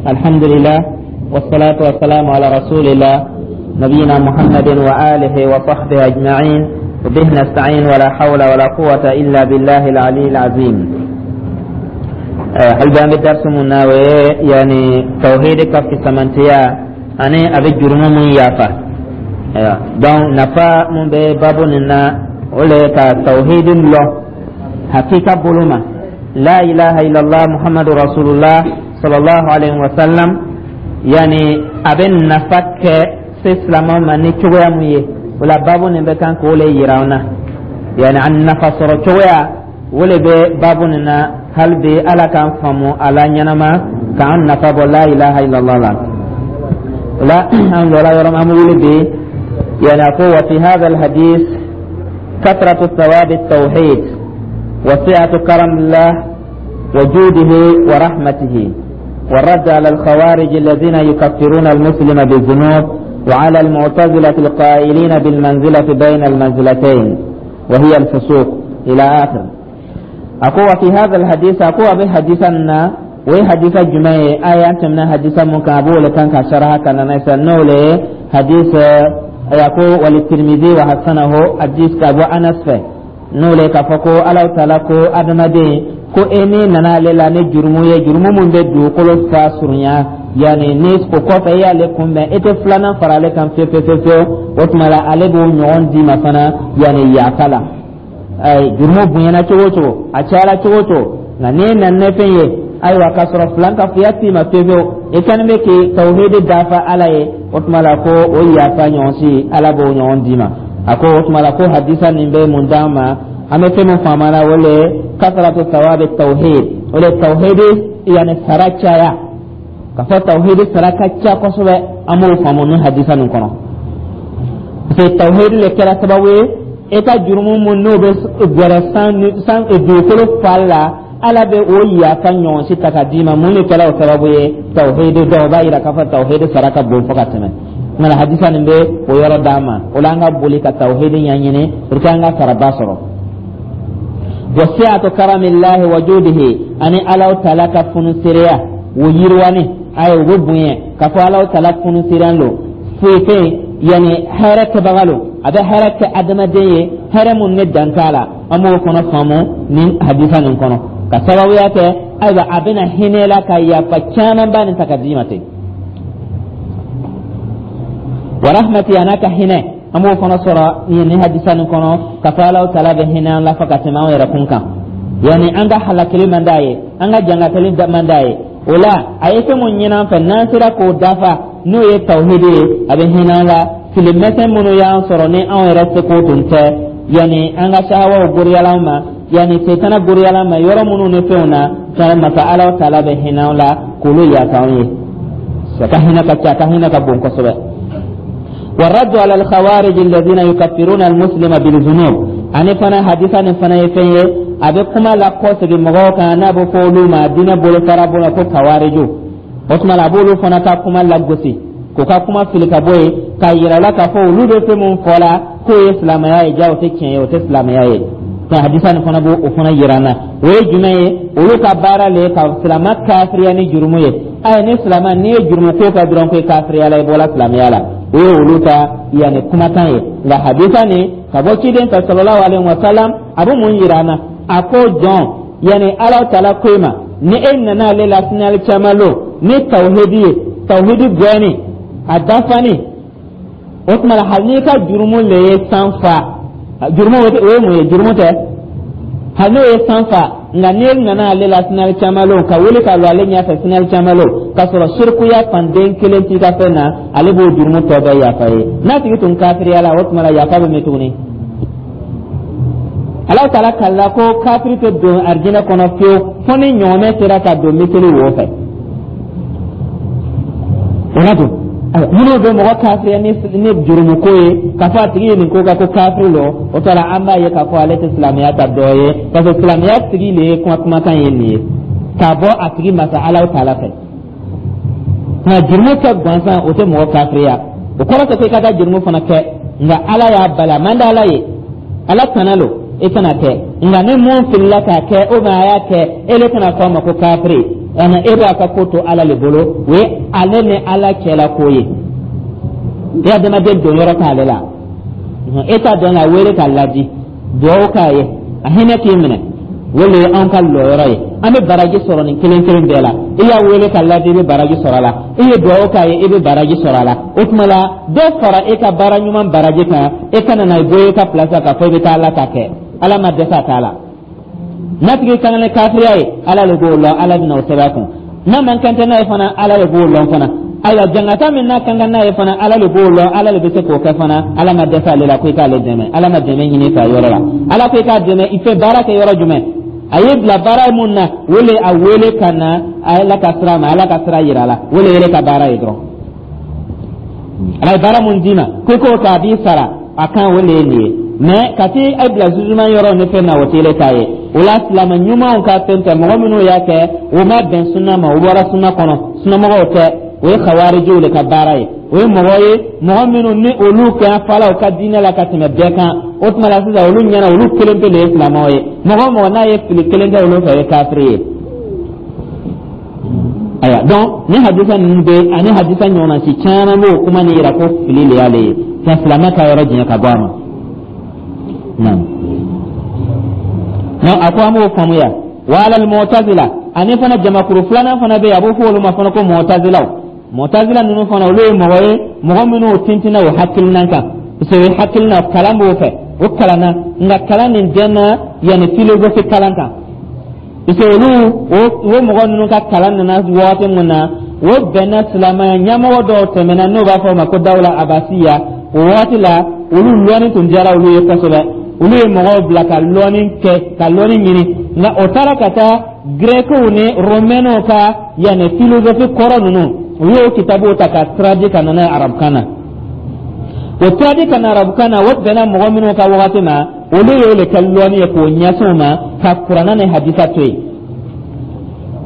الحمد لله والصلاة والسلام على رسول الله نبينا محمد وآله وصحبه أجمعين، وبه نستعين، ولا حول ولا قوة إلا بالله العلي العظيم. Hali bi an bɛ darisu mun na, o ye yani tawhidi ka fisamantiya ani a bɛ jurumu mun yafa. Ayiwa, donc nafa mun bɛ babu nin na, o le ye ka tawhidi lɔn hakika bolo ma, la ilaha illallah Muhammadu rasulullah sallallahu alaihi wa sallam, yani a bɛ nafa kɛ se silamɛw ma ni cogoya mun ye. O la, babu nin bɛ kan k'o le yira an na, yani a nafa sɔrɔ cogoya, o le bɛ babu nin na. Hali bi Ala k'an faamu a la ɲɛnama, k'an nafa bɔ la ilaha illallah la. O la, an jɔra yɔrɔ min, an bɛ wuli bi. Yani a ko: wa fi hadha alhadith kathratu thawabi التوحيد وسعة كرم الله وجوده ورحمته، والرد على الخوارج الذين يكفرون المسلم بالذنوب، وعلى المعتزلة القائلين بالمنزلة بين المنزلتين وهي الفسوق، إلى آخر. أقول في هذا الحديث، أقول بحديثنا وهي حديث جمعي آية أنت من حديث ممكن أبو لكان كشرها كان نيسا نولي حديث يقول وللترمذي وحسنه، حديث أبو أنس فيه n'o le k'a fɔ ko Ala taala ko adamaden ko e ni nana ale la ni jurumu ye, jurumu mun bɛ dugukolo fa surunya, yanni ni o kɔfɛ e y'ale kunbɛn, e tɛ filanan fara ale kan fiyewu fiyewu fiyewu, o tuma la ale b'o ɲɔgɔn d'i ma fana, yanni yafa la. Jurumu bonyana cogo o cogo, a cayara cogo o cogo, nka n'e nana ni fɛn ye, ayiwa, k'a sɔrɔ filan ka fiya t'i ma fiyewu fiyewu, i kɛlen bɛ k'i tawhidi dafa Ala ye, o tuma la ko o yafa ɲɔgɔn si, Ala b'o ɲɔgɔn d'i ma. A ko o tuma la ko hadisa nin bɛ mun d'an ma? An bɛ fɛn min faamu la, o le kasaratu sawabi tawhid, o le tawhidi yanni sara caya, ka fɔ tawhidi sara ka ca kosɛbɛ. An b'o faamu ni hadisa nin kɔnɔ, parce que tawhidi le kɛra sababu ye e ka jurumu mun n'o bɛ gɛrɛ san san dugukolo fa la, Ala bɛ o yafa ɲɔgɔn si ta ka d'i ma. Mun de kɛra o sababu ye? Tawhidi. Dɔw b'a yira k'a fɔ tawhidi sara ka bon fo ka tɛmɛ. Nka hadisa nin bɛ o yɔrɔ d'an ma. O la, an ka boli ka tawhidi ɲɛɲini pour que an ka saraba sɔrɔ. Wa si'atu karamillahi wa judihi, ani Alaw taala ka funusereya o yiriwani, ayi, o bɛ bonya k'a fɔ Alaw taala funusereya lo, foyi fɛn, yanni hɛrɛ kɛbaga lo, a bɛ hɛrɛ kɛ adamaden ye, hɛrɛ mun ne dan t'a la. An b'o fana faamu nin hadisa nin kɔnɔ, ka sababuya kɛ, ayiwa, a bɛna hinɛ la ka yafa caman ba nin ta ka d'i ma ten. Wa rahmati, a n'a ka hinɛ, an b'o fana sɔrɔ nin hadisa nin kɔnɔ, ka fɔ Alaw taala bɛ hinɛ an la fo ka tɛmɛ anw yɛrɛ kun kan, yanni an ka halakili man d'a ye, an ka jangatali man d'a ye. O la, a ye fɛn mun ɲini an fɛ, n'an sera k'o dafa, n'o ye tawhidi ye, a bɛ hinɛ an la. Filimɛsɛn minnu y'an sɔrɔ ni anw yɛrɛ seko tun tɛ, yanni an ka sahawaw goriyala an ma, yanni setana goriyala an ma yɔrɔ minnu ni fɛnw na, fɛn masa Alaw taala bɛ hinɛ an la k'olu yafa anw ye. A ka hinɛ ka ca, a ka hinɛ ka bon kosɛbɛ. والرد على الخوارج الذين يكفرون المسلم بالذنوب، ani fana hadisa nin fana ye fɛn ye, a bɛ kuma la kɔsegin mɔgɔw kan n'a bɛ fɔ olu ma diinɛ bolofara bolo ko kawariju. O tuma la, a b'olu fana ka kuma lagosi, k'u ka kuma fili ka bɔ yen, k'a yira la k'a fɔ olu bɛ fɛn mun fɔ la k'o ye silamɛya ye, ja o tɛ tiɲɛ ye, o tɛ silamɛya ye. Nka hadisa nin fana b'o o fana yira an na. O ye jumɛn ye? Olu ka baara le ye ka silamɛ kafiriya ni jurumu ye. Ayi, ni silamɛ n'i ye jurumu ko kɛ dɔrɔn, ko i kafiriya la, i bɔra silamɛya la, o ye olu ka yanni kumakan ye. Nka hadisa nin ka bɔ ciden fɛ sallallahu alaihi wa sallam, a bɛ mun yira an na? A ko jɔn, yanni Ala taala ko e ma, ni e nana ale la sini alikiyama lon ni tawhidi ye, tawhidi gɛnni a dafani, o tuma la hali n'i ka jurumu le ye san fa, jurumu o ye mun ye? Jurumu tɛ, hali n'o ye san fa, nka n'e nana ale la sini alikiyama lon, ka wuli ka lɔ ale ɲɛfɛ sini alikiyama lon, k'a sɔrɔ sirikuya fanden kelen t'i ka fɛn na, ale b'o jurumu tɔ bɛɛ yafa ye. N'a tigi tun kafiriya la, o tuma la yafa bɛ min tuguni? Ala taala kalila ko kafiri tɛ don arijinɛ kɔnɔ fiyewu fo ni ɲɔgɔmɛ sera ka don miseli wo fɛ. O la dun, minnu bɛ mɔgɔ kafiriya ni jurumuko ye, k'a fɔ a tigi ye nin ko kɛ ko kafiri lo, o t'a la, an b'a ye k'a fɔ ale tɛ silamɛya ta dɔ ye, parce que silamɛya tigi le ye kuma kumakan ye nin ye k'a bɔ a tigi masa Ala taala fɛ. Nka jurumu kɛ gansan, o tɛ mɔgɔ kafiriya. O kɔrɔ tɛ ko i ka taa jurumu fana kɛ, nka Ala y'a bali, a man di Ala ye, Ala tana lo, i kana kɛ. Nka ni mun filila k'a kɛ, o ma a y'a kɛ, e le kana fɔ a ma ko kafiri. Ana e b'a ka ko to Ala le bolo, o ye ale ni Ala cɛla ko ye. E adamaden don yɔrɔ t'ale la. E t'a dɔn a wele k'a ladi, duwawu k'a ye, a hinɛ k'i minɛ, o le ye anw ka lɔyɔrɔ ye. An bɛ baraji sɔrɔ nin kelen kelen bɛɛ la. I y'a wele ka ladi, i bɛ baraji sɔrɔ a la. I ye duwawu k'a ye, i bɛ baraji sɔrɔ a la. O tuma la, dɔ fara e ka baara ɲuman baraji kan. E kana na bɔ e ka place k'a fɔ i bɛ taa Ala ta kɛ. Ala ma dɛsɛ a t'a la. N'a tigi kan ni kafiriya ye, Ala de b'o lɔn, Ala bɛna o sɛbɛn a kun. N'a man kan tɛ n'a ye fana, Ala de b'o lɔn fana. Ayiwa, jangata min n'a kan ka n'a ye fana, Ala de b'o lɔn, Ala de bɛ se k'o kɛ fana. Ala ma dɛsɛ ale la ko i k'ale dɛmɛ. Ala ma dɛmɛ ɲini fɛ a yɔrɔ la. Ala ko i k'a dɛmɛ, i fɛ baara kɛ yɔrɔ jumɛn? A ye bila baara mun na, o le a wele ka na Ala ka sira ma, Ala ka sira yira a la, o le yɛrɛ ka baara ye dɔrɔn. Ala ye baara mun d'i ma ko i k'o kɛ, a b'i sara a kan, o le ye nin ye. Mais ka t'i a bila jugement yɔrɔ ni fɛn na, o t'ile ta ye. O la, silamɛ ɲumanw ka fɛn tɛ. Mɔgɔ minnu y'a kɛ, o ma bɛn sunna ma, o bɔra sunna kɔnɔ, sunnamɔgɔw tɛ. O ye khawarijiw de ka baara ye. O ye mɔgɔ ye, mɔgɔ minnu ni olu kɛ fala u ka diinɛ la ka tɛmɛ bɛɛ kan. O tuma la sisan, olu ɲɛna, olu kelen pe de ye silamɛw ye. Mɔgɔ o mɔgɔ n'a ye fili kelen kɛ olu fɛ, o ye kafiri ye. Ayiwa, donc ni hadisa ninnu bɛ ani hadisa ɲɔgɔnna si caman b'o kuma nin yira ko fili le y'ale ye, ka silamɛ ka yɔrɔ janya ka bɔ a ma. Naam, non, a ko an b'o faamuya. Wa alal mu'tazila, ani fana jamakuru filanan fana bɛ yen, a b'o fɔ olu ma fana ko mu'tazilaw. Mu'tazila ninnu fana, olu ye mɔgɔ ye, mɔgɔ minnu tintinna o hakilina kan, parce que o hakilina kalan b'o fɛ, o kalanna, nka kalan nin dɛnna yanni philosophie kalan kan, parce que olu o mɔgɔ ninnu ka kalan nana waati mun na, o bɛnna silamɛya ɲɛmɔgɔ dɔw tɛmɛna, n'o b'a fɔ o ma ko dawula abasiya. O waati la, olu lɔnni tun diyara olu ye kosɛbɛ. Olu ye mɔgɔw bila ka lɔnni kɛ, ka lɔnni ɲini, nka o taara ka taa grɛkiw ni romɛnw ka yanni philosophie kɔrɔ ninnu, u y'o kitabuw ta ka traduit ka na n'a ye arabukan na. O traduit ka na arabukan na, o bɛnna mɔgɔ minnu ka wagati ma, olu y'o de kɛ lɔnni ye k'o ɲɛsin o ma, ka kuranna ni hadisa to yen.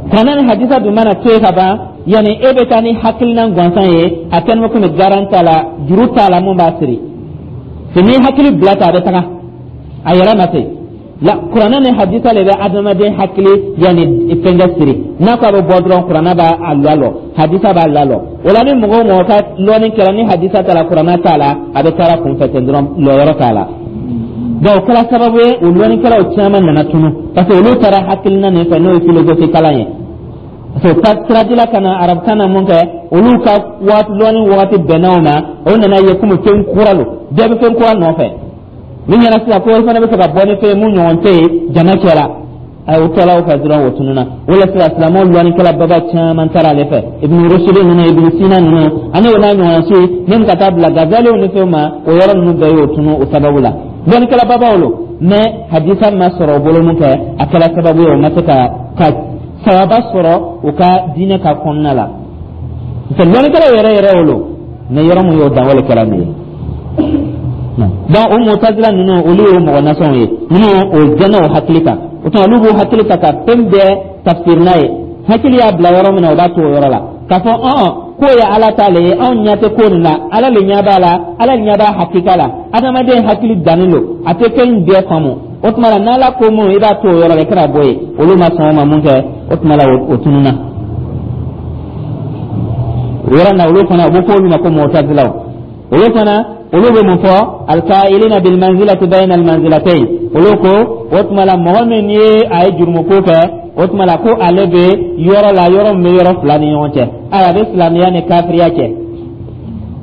Kuranna ni hadisa dun mana to yen ka ban, yanni e bɛ taa ni hakilina gansan ye, a kɛlen bɛ komi garan t'a la, juru t'a la mun b'a siri. N'i hakili bila ta, a bɛ taga a yɛrɛ ma ten la. Kuranɛ ni hadisa le bɛ adamaden hakili yanni fɛnkɛ siri. N'a ko a bɛ bɔ dɔrɔn, kuranɛ b'a lalɔ, hadisa b'a lalɔ. O la, ni mɔgɔ o mɔgɔ ka lɔnni kɛra ni hadisa t'a la, kuranɛ t'a la, a bɛ taara kunfɛ ten dɔrɔn, lɔyɔrɔ t'a la. Donc o kɛra sababu ye, o lɔnnikɛlaw caman nana tunu, parce que olu taara hakilina nin fɛ, n'o ye philosophie kalan ye, parce que o traduit ka na arabukan na mun kɛ, olu ka waati lɔnni wagati bɛnna o ma. O nana ye komi fɛn kura lo, bɛɛ bɛ fɛn kura nɔfɛ. Min ɲɛna sisan ko fana bɛ fɛ ka bɔ ni fɛn ye mun ɲɔgɔn tɛ yen jama cɛ la, ayi, o tɔla o fɛ dɔrɔn, o tununa. O la sisan, silamɛw lɔnnikɛla baba caman taara ale fɛ, Ibn Rushd ninnu, Ibn Sina ninnu, ani o n'a ɲɔgɔnna si, min ka taa bila Gazaliw ni fɛnw ma. O yɔrɔ ninnu bɛɛ y'o tunu o sababu la. Lɔnnikɛla babaw lo, mais hadisa ma sɔrɔ o bolo mun kɛ, a kɛra sababu ye o ma se ka sawaba sɔrɔ u ka diinɛ ka kɔnɔna la, parce que lɔnnikɛlaw yɛrɛ yɛrɛ o lo, mais yɔrɔ mun y'o dan, o le kɛra nin ye. Donc o mutazila ninnu, olu y'o mɔgɔ nasɔnw ye minnu o jɛnna o hakili kan. O tuma, olu b'o hakili ta ka fɛn bɛɛ tafsir n'a ye. Hakili y'a bila yɔrɔ min na, o b'a to o yɔrɔ la, k'a fɔ ɔn k'o ye Ala ta le ye. Anw ɲɛ tɛ ko nin la, Ala le ɲɛ b'a la, Ala le ɲɛ b'a hakika la. Adamaden hakili dannen don, a tɛ fɛn bɛɛ faamu. O tuma la, n'Ala ko mun, i b'a to o yɔrɔ la, i kana bɔ yen. Olu ma sɔn o ma mun kɛ, o tuma la, o tununna o yɔrɔ na. Olu fana, u bɛ fɔ olu ma ko mutazilaw. Olu fana, olu bɛ mun fɔ? Alkailina bilmanzilati bayna almanzilatayn. Olu ko o tuma la, mɔgɔ min ye a ye jurumuko kɛ, o tuma la ko ale bɛ yɔrɔ la, yɔrɔ min bɛ yɔrɔ fila ni ɲɔgɔn cɛ. Ayiwa, a bɛ silamɛya ni kafiriya cɛ,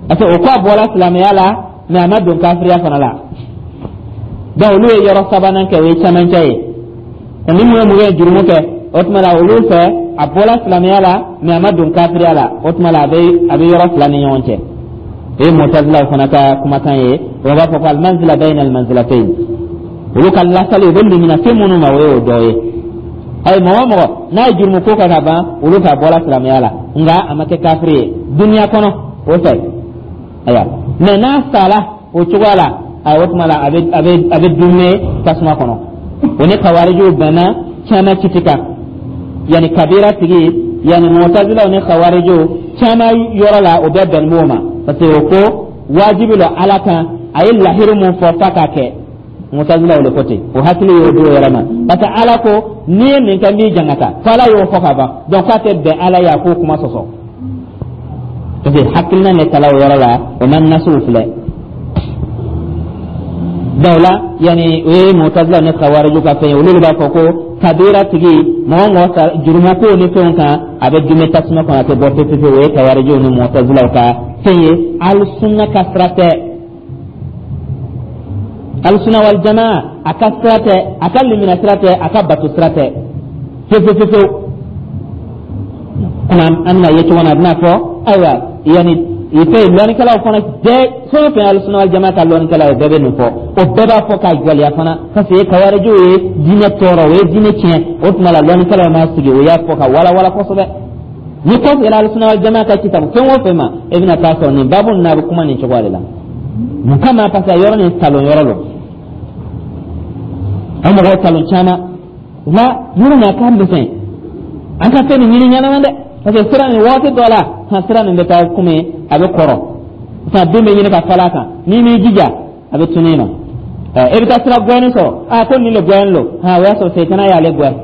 parce que o ko a bɔra silamɛya la, mais a ma don kafiriya fana la. Donc olu ye yɔrɔ sabanan kɛ, o ye cɛmancɛ ye. Ni mun ye jurumu kɛ, o tuma la, olu fɛ, a bɔra silamɛya la, mais a ma don kafiriya la. O tuma la, a bɛ yɔrɔ fila ni ɲɔgɔn cɛ. O ye mutazilaw fana ka kumakan ye. O b'a fɔ ko almanzila bayna almanzilatayn. Olu ka lasali, u bɛ limina fɛn minnu ma, o ye o dɔ ye. Ayi, mɔgɔ o mɔgɔ n'a ye jurumu ko kɛ ka ban, olu fɛ a bɔra silamɛya la, nka a ma kɛ kafiri ye duniya kɔnɔ o fɛ. Ayiwa, mais n'a sala o cogoya la, ayiwa, o tuma la, a bɛ dunne tasuma kɔnɔ. O ni kawarijiw bɛnna caman kiti kan, yanni kabira tigi, yanni mutazilaw ni kawarijiw caman yɔrɔ la, o bɛɛ bɛn b'o ma, parce que o ko wajibi lo Ala kan, a ye lahiri mun fɔ f'a k'a kɛ. Mutazilaw le ko ten. O hakili y'o d'o yɛrɛ ma, parce que Ala ko n'i ye nin kɛ, n b'i jangata, fo Ala y'o fɔ ka ban. Donc k'a tɛ bɛn Ala ye a k'o kuma sɔsɔ, parce que hakilina de tala o yɔrɔ la, o ma nasiw filɛ. Donc la, yani, o ye Mutazila ni Khawariju ka fɛn ye. Olu de b'a fɔ ko kabira tigi, mɔgɔ o mɔgɔ jurumu ko ni fɛnw kan, a bɛ dume tasuma kɔnɔ, a tɛ bɔ pewu pewu. O ye Kawarijiw ni Mutazilaw ka fɛn ye. Alisunna ka sira tɛ, Alisuna wal jamaa a ka sira tɛ, a ka limina sira tɛ, a ka bato sira tɛ fewu fewu fewu. Komi an bɛna ye cogo min na, a bɛna fɔ, ayiwa, yanni fɛn lɔnnikɛlaw fana bɛɛ, fɛn o fɛn Alisuna wal jamaa ka lɔnnikɛlaw ye, bɛɛ bɛ nin fɔ. O bɛɛ b'a fɔ k'a jɔliya fana, parce que Kawarijiw ye diinɛ tɔɔrɔ, o ye diinɛ tiɲɛ. O tuma la, lɔnnikɛlaw ma sigi, o y'a fɔ ka walawala kosɛbɛ. Ni kɔfɛ Alisuna wal jamaa ka kitabu fɛn o fɛn ma, e bɛna taa sɔrɔ nin baabu ninnu, a bɛ kuma nin cogoya de la. Mun kama? Parce que yɔrɔ nin talon yɔrɔ don, an mɔgɔw talon caman la yɔrɔ nin, a ka misɛn, an ka fɛn nin ɲini ɲɛnama dɛ, parce que sira nin, waati dɔ la, han, sira nin bɛ taa komi a bɛ kɔrɔ sisan, den bɛ ɲini ka falen a kan. N'i m'i jija, a bɛ tunun i ma. E bɛ taa sira gɛlɛnni sɔrɔ, a ko nin le gɛlɛn lo, han, o y'a sɔrɔ setana y'ale gɛn,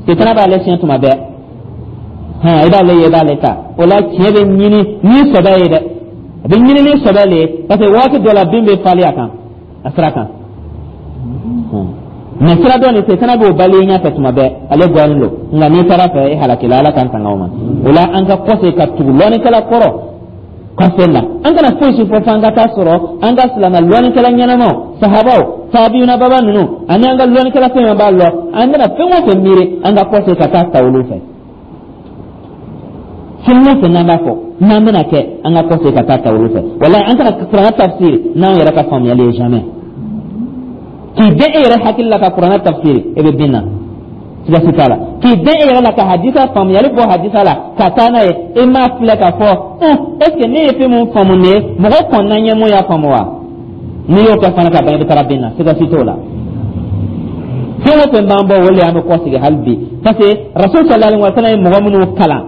setana b'ale siɲɛ tuma bɛɛ. Han, i b'ale ye, i b'ale ta. O la, tiɲɛ bɛ ɲini ni sɔbɛ ye dɛ, a bɛ ɲini ni sɔbɛ le ye, parce que waati dɔ la, bin bɛ falen a kan, a sira kan. Mɛ sira dɔ nin, setana b'o bali i ɲɛfɛ tuma bɛɛ, ale gɛnnen don. Nka n'i taara fɛ, e halakila. Ala k'an tanga o ma. O la, an ka kɔse ka tugu lɔnnikɛla kɔrɔ ka fɛn na. An kana foyi si fɔ f'an ka taa sɔrɔ an ka silamɛ lɔnnikɛla ɲɛnamaw, sahabaw, taabiyuna baba ninnu, ani an ka lɔnnikɛla fɛn fɛn b'a lɔ. An bɛna fɛn o fɛn miiri, an ka kɔse ka taa ta olu fɛ. Fɛn o fɛn n'an b'a fɔ n'an bɛna kɛ, an ka kɔse ka taa ta olu fɛ. Walahi, an kana Kuranɛ tafsiri n'anw yɛrɛ ka faamuyali ye, jamais. K'i bɛn e yɛrɛ hakili la ka Kuranɛ tafsiri, e bɛ bin na, siga si t'a la. K'i bɛn e yɛrɛ la ka hadisa faamuyali bɔ hadisa la ka taa n'a ye, e m'a filɛ k'a fɔ est ce que ne ye fɛn mun faamu nin ye, mɔgɔ kɔnna ɲɛ mun y'a faamu wa? N'i y'o kɛ fana ka ban, i bɛ taara bin na, siga si t'o la. Fɛn o fɛn b'an bɔ, o de an bɛ kɔsegin hali bi, parce que Rasul sallallahu alaihi wa sallam ye mɔgɔ minnu kalan,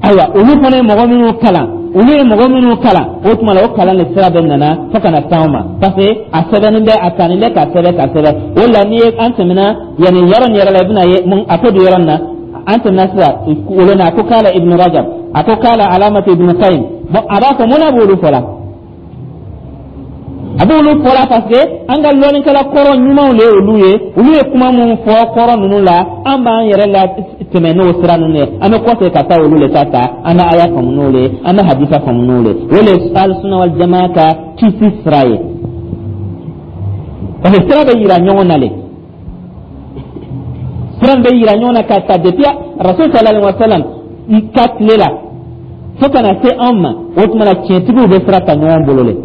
ayiwa, olu fana ye mɔgɔ minnu kalan, olu ye mɔgɔ minnu kalan, o tuma la, o kalan de sira bɛ nana fo ka na s'anw ma, parce que a sɛbɛnnen bɛ, a tannen bɛ ka sɛbɛn ka sɛbɛn. O la, n'i ye an tɛmɛna yanni yɔrɔ nin yɛrɛ la, i bɛna ye mun a ko don yɔrɔ nin na. An tɛmɛna sisan o na, a ko k'ala Ibn Rajab, a ko k'ala Alamatu Ibn Qayyim. Bon, a b'a fɔ mun na b'olu fɔ la? A b'olu fɔla parce que an ka lɔnnikɛla kɔrɔ ɲumanw de ye olu ye. Olu ye kuma mun fɔ kɔrɔ ninnu la, an b'an yɛrɛ la tɛmɛ n'o sira ninnu ye. An bɛ kɔsegin ka taa olu le ta ta, an bɛ aya faamu n'o le ye, an bɛ hadisa faamu n'o le ye. O le ye Alisuna wal jamaa ka kisi sira ye, parce que sira bɛ yira ɲɔgɔn na le, sira bɛ yira ɲɔgɔn na ka ta depuis Rasul sallallahu alaihi wa sallam ka tile la fo ka na se anw ma. O tuma la, tiɲɛtigiw bɛ sira ta ɲɔgɔn bolo le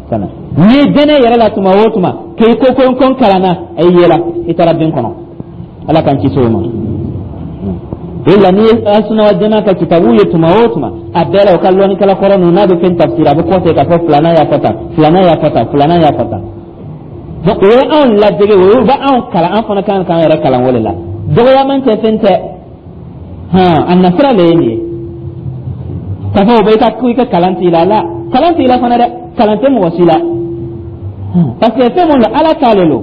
ka na. N'i dɛnɛ yɛrɛ la tuma o tuma k'i ko n kalanna, a y'i yɛlɛ, i taara bin kɔnɔ. Ala k'an kisi o ma. O la, n'i ye Asuna wa Jama ka kitabu ye tuma o tuma, a bɛɛ la, o ka lɔnnikɛla kɔrɔ ninnu, n'a bɛ fɛn tafsir, a bɛ kɔsegin k'a fɔ filanan y'a fɔ tan, filanan y'a fɔ tan, filanan y'a fɔ tan. Donc o ye anw ladege, o ye bɛ anw kalan, an fana kan k'an yɛrɛ kalan o de la. Dɔgɔyaman tɛ, fɛn tɛ, hɔn, a nasira le ye nin ye. K'a fɔ o bɛ i ka ko i ka kalan t'i la, la kalan t'i la fana dɛ, kalan tɛ mɔgɔ si la, parce que fɛn mun don, Ala t'ale lo,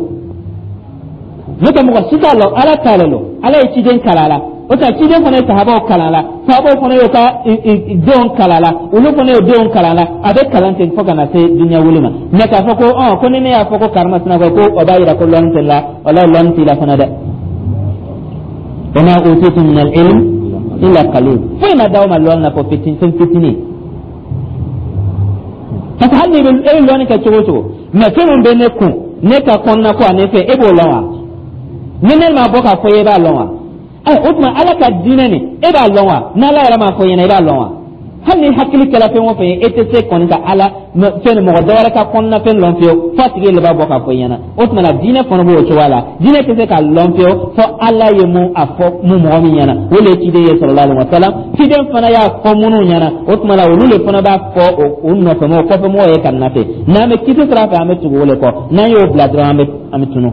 n'o tɛ mɔgɔ si t'a lɔn. Ala t'ale lo, Ala ye ciden kalan la, o tɛ ciden fana ye sahabaw kalan la, sahabaw fana y'o ka denw kalan la, olu fana y'o denw kalan la. A bɛ kalan ten fo ka na se dunuya wuli ma. Mɛ k'a fɔ ko ko ni ne y'a fɔ ko karimasina ko o b'a yira ko lɔnni tɛ la, walahi, lɔnni t'i la fana dɛ. Wa ma utitum min al-ilm illa qalil. Foyi ma d'aw ma lɔnni na fo fitinin, fɛn fitinin, parce que hali ni e bɛ lɔnni kɛ cogo o cogo, mɛ fɛn min bɛ ne kun, ne ka kɔnɔna ko ani fɛn, e b'o lɔn wa? Ni ne m'a bɔ k'a fɔ i ye, e b'a lɔn wa? Ɛ, o tuma, Ala ka diinɛ nin, e b'a lɔn wa? N'Ala yɛrɛ m'a fɔ i ɲɛna, i b'a lɔn wa? Hali ni hakili kɛra fɛn o fɛn ye, e tɛ se kɔni ka Ala fɛn ni mɔgɔ dɔ wɛrɛ ka kɔnɔna fɛn lɔn fiyewu, f'a tigi de b'a bɔ k'a fɔ i ɲɛna. O tuma na, diinɛ fana b'o cogoya la. Diinɛ tɛ se k'a lɔn fiyewu fo Ala ye mun a fɔ mun mɔgɔ min ɲɛna, o de ye ciden ye sallallahu alaihi wa sallam. Ciden fana y'a fɔ minnu ɲɛna, o tuma na, olu de fana b'a fɔ o nɔfɛmɔgɔw, kɔfɛmɔgɔw ye ka na ten. N'an bɛ kisi sira fɛ, an bɛ tugu o de kɔ. N'an y'o bila dɔrɔn, an bɛ tunu.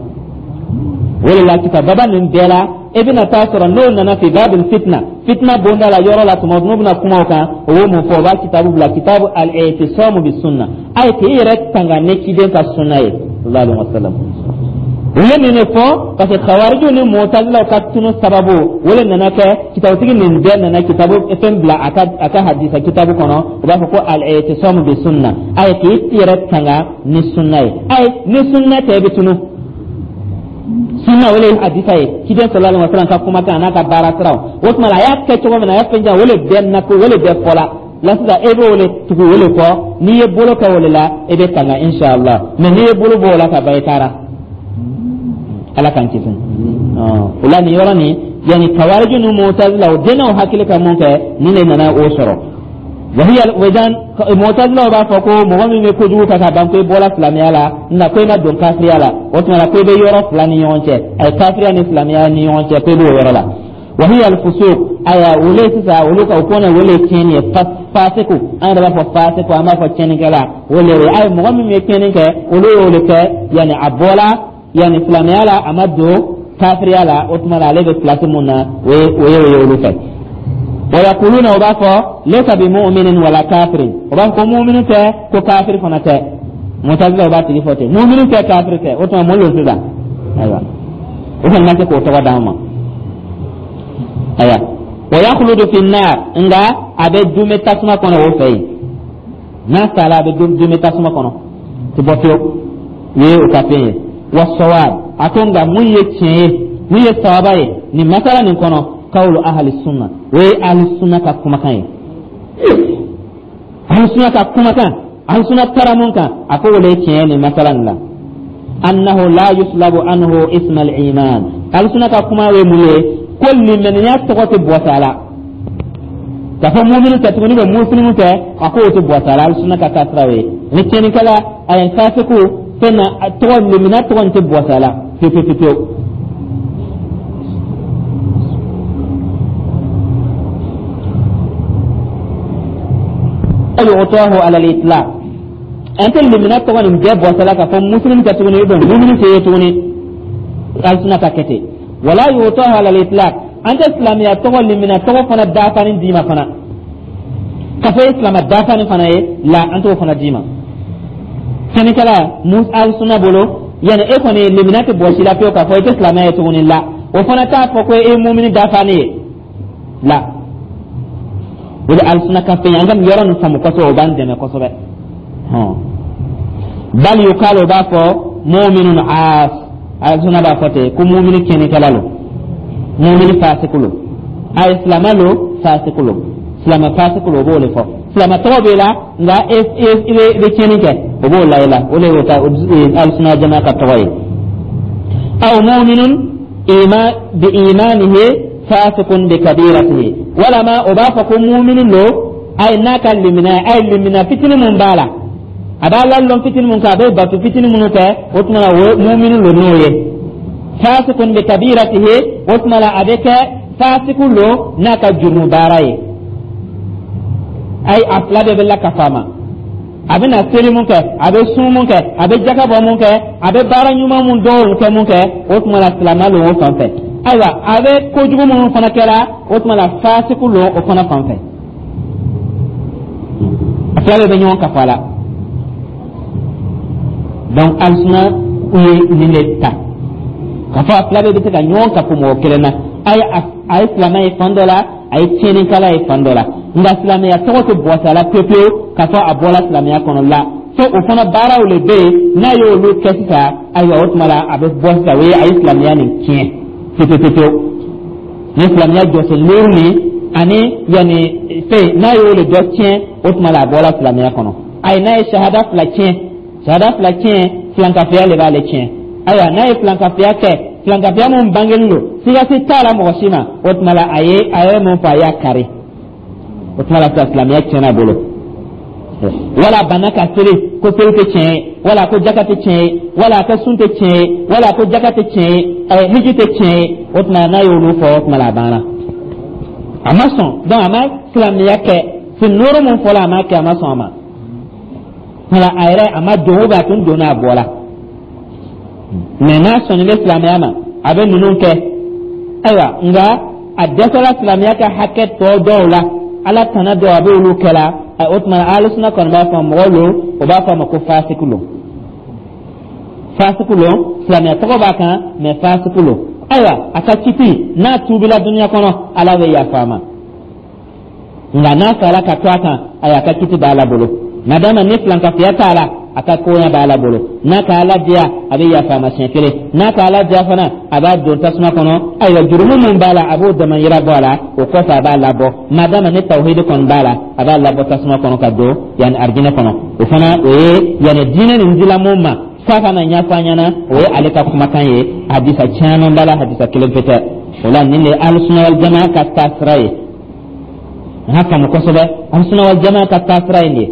O de la, kitababa nin bɛɛ la, e bɛna taa sɔrɔ n'o nana fi babil fitna, fitna bonda la yɔrɔ la, tuma n'u bɛna kuma o kan, o b'o mun fɔ? O b'a kitabu bila, kitabu al-i'tisamu bi sunna, a ye k'i yɛrɛ tanga ne ciden ka sunna ye. Sallallahu alaihi wasallam. U ye nin de fɔ parce que Khawarijiw ni Mutazilaw ka tunu sababu o de nana kɛ kitabutigi nin bɛɛ nana kitabu fɛn bila a ka hadisa kitabu kɔnɔ. U b'a fɔ ko al-i'tisamu bi sunna, ayi, k'i yɛrɛ tanga ni sunna ye. Ayi, ni sunna tɛ, i bɛ tunu. Sunna, o de ye hadisa ye, ciden sallallahu alaihi wasallam ka kumakan n'a ka baara siraw. O tuma la, a y'a kɛ cogo min na, a y'a fɛn jan, o de bɛɛ na ko o de bɛɛ fɔla la. Sisan e b'o de tugu, o de kɔ. N'i ye bolo kɛ o de la, i bɛ tanga inshallah. Mais n'i ye bolo bɔ o la ka ban, i taara. Ala k'an kisi. O la, nin yɔrɔ nin, yani Kawariji ni Mutazila, o dennaw hakili ka mun kɛ, nin de nana o sɔrɔ. Wahiya wedan Mutazilaw b'a fɔ ko mɔgɔ min bɛ kojugu kɛ ka ban, ko i bɔra silamɛya la, nka ko i ma don kafiriya la. O tuma la, ko i bɛ yɔrɔ fila ni ɲɔgɔn cɛ, a ye kafiriya ni silamɛya ni ɲɔgɔn cɛ, ko i b'o yɔrɔ la. Wahiya alfusuq. Aya, olu sisan, olu ka o kɔnɔ, o le tiɲɛni ye, fasiku. An yɛrɛ b'a fɔ fasiku, an b'a fɔ tiɲɛnikɛla, o le ye. Ayi, mɔgɔ min bɛ tiɲɛni kɛ, olu y'o de kɛ, yanni a bɔra yanni silamɛya la, a ma don kafiriya la. O tuma la, ale bɛ pilasi mun na, o ye olu fɛ. Wa yaquluna, o b'a fɔ laysa bi mu'minin wala kafirin. O b'a fɔ ko mu'minu tɛ, ko kafiri fana tɛ. Mutazila, o b'a tigi fɔ ten, mu'minu tɛ, kafiri tɛ. O tuma, mun don sisan? Ayiwa, o kɔni ma se k'o tɔgɔ d'an ma. Ayiwa, wa yakhludu fi nar, nka a bɛ dume tasuma kɔnɔ o fɛ yen. N'a sara, a bɛ dume tasuma kɔnɔ, ti bɔ fiyewu. O ye o ka fɛn ye. Wa sawab, a ko nka mun ye tiɲɛ ye, mun ye sawaba ye nin masala nin kɔnɔ, kawlu ahli sunna, o ye ahli sunna ka kumakan ye. Ahli sunna ka kumakan, ahli sunna taara mun kan, a ko o le ye tiɲɛ ye nin masala nin la. Annahu la yuslabu anhu isma al-iman. Ahli sunna ka kuma ye mun ye? Ko limaniya tɔgɔ tɛ bɔsa a la k'a fɔ muminu tɛ tuguni, bɛ musilimu tɛ, a ko o tɛ bɔsa a la. Ahli sunna ka taa siraw ye ni tiɲɛnikɛla, a ye fasiku fɛn na, tɔgɔ limaniya tɔgɔ nin tɛ bɔsa a la pewu pewu pewu. Yu'tahu ala al-itlaq, an tɛ limaniya tɔgɔ nin bɛɛ bɔsa la k'a fɔ muslim tɛ tuguni, ou bien muminu tɛ ye tuguni. Alisuna ka kɛ ten. Wala yu'tahu ala al-itlaq, an tɛ silamɛya tɔgɔ, limaniya tɔgɔ fana dafani d'i ma fana k'a fɔ e silamɛ dafani fana ye la, an t'o fana d'i ma. Sɛnɛkɛla mus alisuna bolo, yani e kɔni limaniya tɛ bɔsi la pewu k'a fɔ i tɛ silamɛya ye tuguni la, o fana t'a fɔ ko e ye mumini dafani ye la. O de alisuna ka fɛn ye. An ka nin yɔrɔ nin faamu kosɛbɛ, o b'an dɛmɛ kosɛbɛ. Bal yukalu, o b'a fɔ mu'minun aas. Alisuna b'a fɔ ten ko mumini tiɲɛnikɛla lo, mumini fasiku lo, a ye silamɛ lo, fasiku lo, silamɛ fasiku lo. O b'o de fɔ. Silamɛ tɔgɔ b'i la, nka e i bɛ tiɲɛni kɛ, o b'o la i la. O de y'o ta alisuna jama ka tɔgɔ ye. Aw mu'minun iman bi imanihi fasikun bi kabiratihi, walama o b'a fɔ ko mumini lo, ayi, n'a ka limina, a ye limina fitinin mun b'a la, a b'a lalɔn fitinin mun kɛ, a bɛ bato fitinin minnu kɛ, o tuma la, o mumini lo n'o ye. Fasikun bi kabiratihi, o tuma la, a bɛ kɛ fasiku lo n'a ka jurumu baara ye. Ayi, a fila bɛɛ bɛ lakafa a ma. A bɛna seli mun kɛ, a bɛ sun mun kɛ, a bɛ jaka bɔ mun kɛ, a bɛ baara ɲuman mun dɔw kɛ mun kɛ, o tuma la, silamɛ lo o fan fɛ. Ayiwa, a bɛ kojugu minnu fana kɛra, o tuma la, fasiku lo o fana fan fɛ. A fila bɛɛ bɛ ɲɔgɔn kafa a la. Donc alisuna u ye nin de ta k'a fɔ a fila bɛɛ bɛ se ka ɲɔgɔn kafo mɔgɔ kelen na. A ye silamɛ ye fan dɔ la, a ye tiɲɛnikɛla ye fan dɔ la, nka silamɛya tɔgɔ tɛ bɔsa a la pewu pewu k'a fɔ a bɔra silamɛya kɔnɔ la, fo o fana baaraw de bɛ yen, n'a y'olu kɛ sisan, ayiwa, o tuma la, a bɛ bɔ sisan. O ye a ye silamɛya nin tiɲɛ pewu pewu pewu ni silamɛya jɔsen loru nin ani yanni fɛn, n'a y'o de dɔ tiɲɛ, o tuma la, a bɔra silamɛya kɔnɔ. Ayi, n'a ye sahada fila tiɲɛ, sahada fila tiɲɛ, filankafoya de b'ale tiɲɛ. Ayiwa, n'a ye filankafoya kɛ, filankafoya mun bangelen don, siga si t'a la mɔgɔ si ma, o tuma la, a ye mun fɔ, a y'a kari, o tuma la sisan, silamɛya tiɲɛna a bolo. Wala banna ka seli, ko seli tɛ tiɲɛ ye, wala ko jaka tɛ tiɲɛ ye, wala ko sun tɛ tiɲɛ ye, wala ko jaka tɛ tiɲɛ ye, hiji tɛ tiɲɛ ye, o tuma la, n'a y'olu fɔ, o tuma la, a banna, a ma sɔn. Donc a ma silamɛya kɛ sen nɔɔrɔ mun fɔla, a ma kɛ, a ma sɔn a ma. Wala a yɛrɛ a ma don, ou bien a tun donna, a bɔra. Mais n'a sɔnni bɛ silamɛya ma, a bɛ ninnu kɛ. Ayiwa, nka a dɛsɛla silamɛya ka hakɛ tɔ dɔw la, Ala tana dɔw, a bɛ olu kɛ la, o tuma na, alusuna kɔni b'a fɔ mɔgɔ lo, o b'a fɔ a ma ko fasiku lo. Fasiku lo, silamɛya tɔgɔ b'a kan, mais fasiku lo. Ayiwa, a ka kiti, n'a tuubila dunuya kɔnɔ, Ala bɛ yafa a ma. Nka n'a sara ka to a kan, ayiwa, a ka kiti b'Ala bolo. Madama ni filankafoya t'a la, a ka koɲa b'Ala bolo. N'a ka Ala diya, a bɛ yafa a ma siɲɛ kelen. N'a ka Ala diya fana, a b'a don tasuma kɔnɔ. Ayiwa, jurumu min b'a la, a b'o damayira bɔ a la. O kɔfɛ, a b'a labɔ. Madama ni tawhidi kɔni b'a la, a b'a labɔ tasuma kɔnɔ ka don yanni arijinɛ kɔnɔ. O fana, o ye yanni diinɛ nin dila mun ma k'a ka na ɲɛfɔ an ɲɛna, o ye ale ka kumakan ye. Hadisa caman b'a la, hadisa kelen pe tɛ. O la, nin de ye Alusuna wal Jamaa ka taasira ye. An ka faamu kosɛbɛ, Alusuna wal Jamaa ka taasira ye nin ye.